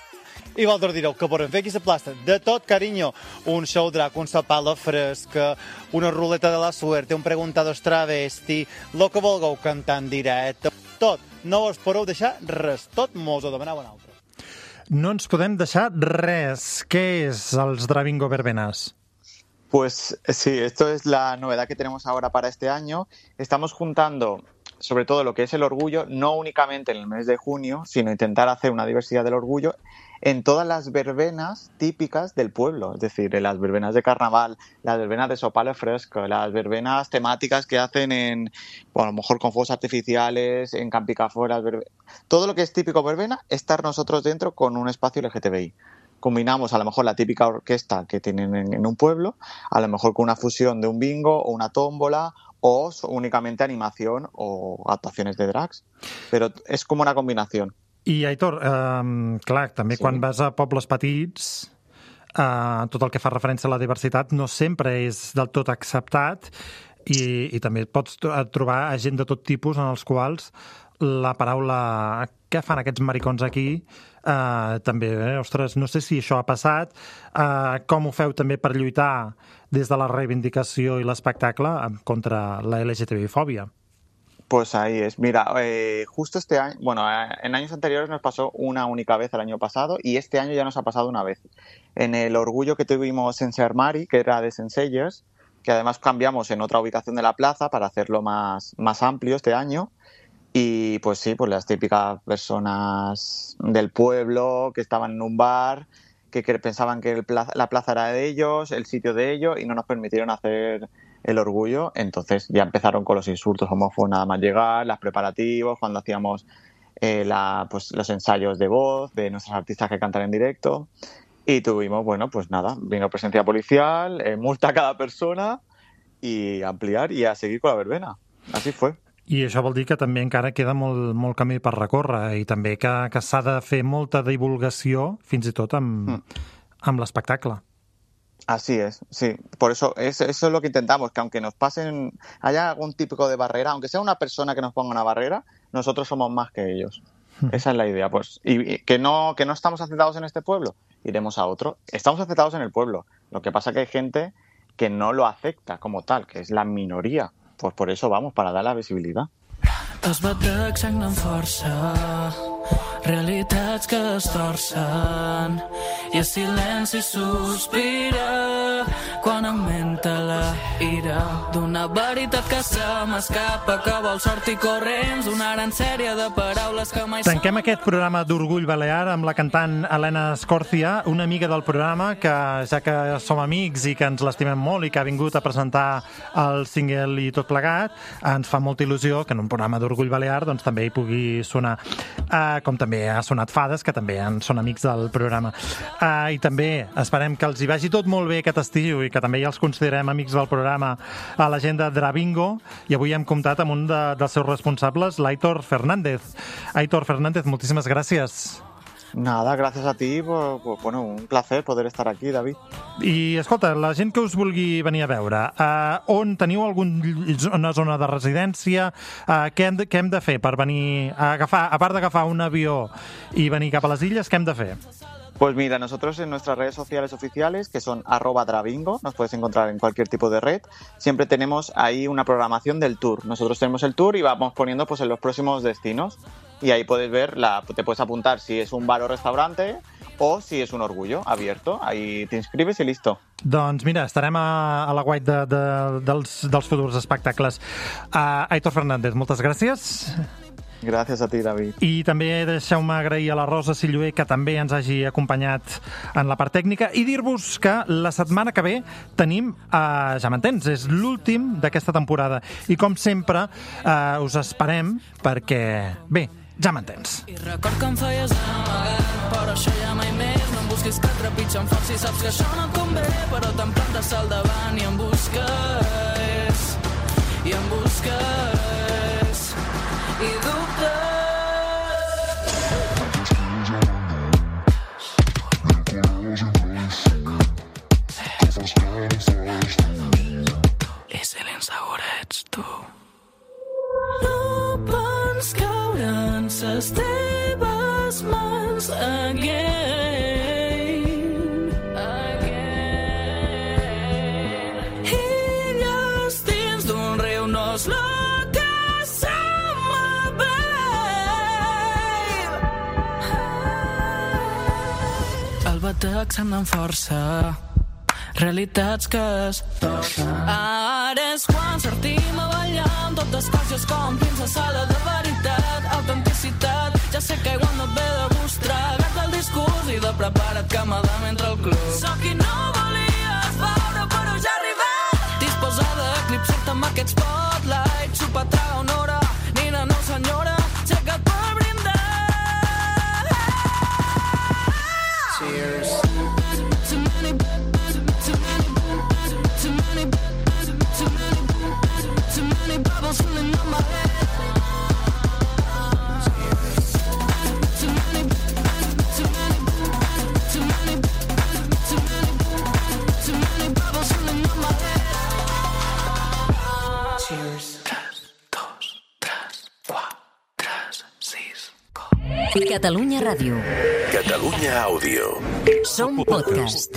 I vosaltres direu que podem fer aquí la plaça de tot carinyo. Un show drac, un sopar a la fresca, una ruleta de la suerte, un preguntados travesti, lo que vulgueu cantar en directe, tot. No us podeu deixar res, tot mos ho demaneu un altre. No ens podem deixar res. Què és els Dravingo Verbenas? Pues sí, esto es la novedad que tenemos ahora para este año. Estamos juntando sobre todo lo que es el orgullo, no únicamente en el mes de junio, sino intentar hacer una diversidad del orgullo en todas las verbenas típicas del pueblo, es decir, en las verbenas de carnaval, las verbenas de sopalo fresco, las verbenas temáticas que hacen en, bueno, a lo mejor con fuegos artificiales, en Campicaforas, todo lo que es típico verbena, estar nosotros dentro con un espacio L G T B I. Combinamos a lo mejor la típica orquesta que tienen en, en un pueblo, a lo mejor con una fusión de un bingo o una tómbola, o únicamente animación o actuacions de drags, però és com una combinació. I Aitor, eh, clar, també sí. Quan vas a pobles petits, eh, tot el que fa referència a la diversitat no sempre és del tot acceptat i, i també pots trobar gent de tot tipus en els quals la paraula què fan aquests maricons aquí eh, també, eh? Ostres, no sé si això ha passat, eh, com ho feu també per lluitar des de la reivindicació i l'espectacle contra la L G T B I-fòbia. Pues ahí es. Mira, eh, justo este año, bueno, eh, en años anteriores nos pasó una única vez el año pasado y este año ya nos ha pasado una vez. En el orgullo que tuvimos en Sermari, que era de Senseiers, que además cambiamos en otra ubicación de la plaza para hacerlo más, más amplio este año. Y pues sí, pues las típicas personas del pueblo que estaban en un bar, que, que pensaban que el plaza, la plaza era de ellos, el sitio de ellos, y no nos permitieron hacer el orgullo. Entonces ya empezaron con los insultos homófobos nada más llegar, los preparativos, cuando hacíamos eh, la, pues, los ensayos de voz de nuestros artistas que cantan en directo. Y tuvimos, bueno, pues nada, vino presencia policial, eh, multa a cada persona y ampliar y a seguir con la verbena. Así fue. I això vol dir que també encara queda molt, molt camí per recórrer i també que, que s'ha de fer molta divulgació, fins i tot amb, mm. amb l'espectacle. Así es, sí. Por eso, eso, eso es lo que intentamos, que aunque nos pasen, haya algún tipo de barrera, aunque sea una persona que nos ponga una barrera, nosotros somos más que ellos. Mm. Esa es la idea, pues. Y, y que no, que no estamos aceptados en este pueblo, iremos a otro. Estamos aceptados en el pueblo. Lo que pasa que hay gente que no lo acepta como tal, que es la minoría. Pues por eso vamos, para dar la visibilidad. Els batecs sagnen força, realitats que es torcen, i el silenci sospira quan augmenta la ira d'una veritat que se m'escapa, que vol sortir corrents d'una gran sèrie de paraules que mai... Tanquem aquest programa d'Orgull Balear amb la cantant Helena Escòrcia, una amiga del programa que, ja que som amics i que ens l'estimem molt i que ha vingut a presentar el single i tot plegat, ens fa molta il·lusió que en un programa d'Orgull Balear doncs també hi pugui sonar, uh, com també ha sonat Fades, que també en són amics del programa. Uh, I també esperem que els hi vagi tot molt bé aquest estiu i que també ja els considerem amics del programa a la gent de Dravingo, i avui hem comptat amb un de, dels seus responsables, l'Aitor Fernández. Aitor Fernández, moltíssimes gràcies. Nada, gracias a ti, pues, pues, bueno, un placer poder estar aquí, David. I, escolta, la gent que us vulgui venir a veure, uh, on teniu alguna zona de residència? Uh, què, hem de, què hem de fer per venir a agafar, a part d'agafar un avió i venir cap a les illes, què hem de fer? Pues mira, nosotros en nuestras redes sociales oficiales, que son arroba Dravingo, nos puedes encontrar en cualquier tipo de red, siempre tenemos ahí una programación del tour. Nosotros tenemos el tour y vamos poniendo pues en los próximos destinos. Y ahí puedes ver, la, te puedes apuntar si es un bar o restaurante o si és un orgullo abierto. Ahí t'inscribes i listo. Doncs mira, estarem a, a la guait de, de, dels, dels futurs espectacles. Uh, Aitor Fernández, moltes gràcies. Gràcies a ti, David. I també deixeu-me agrair a la Rosa Silluer, que també ens hagi acompanyat en la part tècnica, i dir-vos que la setmana que ve tenim, uh, ja m'entens, és l'últim d'aquesta temporada. I com sempre, uh, us esperem perquè, bé, ja m'entens. I record que em feies amagat, però això ja mai més. No em busquis que trepitja amb força i saps que això no et convé, però te'n plantes al davant i em busques, i em busques. i dubtes. I si l'insegur ets tu. No pots caure en ses teves mans again, again. Illes dins d'un riu no és lo que sembla, babe. El batec se'm dona força, realitats que es torcen. Ara és quan sortim a ballar amb totes caixes com fins a sala de veritat, autenticitat. Ja sé que igual no et ve de gust tragar-te el discurs i de prepara't que m'adam entre el club. Soc qui no volies veure però ja he arribat, disposada a eclipsar-te amb aquest spotlight. Xupa, traga una hora, nina, no senyora, aixeca't per brindar. Cheers. Too many Too many, too many, too many bubbles filling up my head. Too many, too many, too many, too many, too many bubbles filling up my head. Cheers. tres, dos, tres, quatre, tres, sis. Catalunya Ràdio. Catalunya Àudio. Som podcast.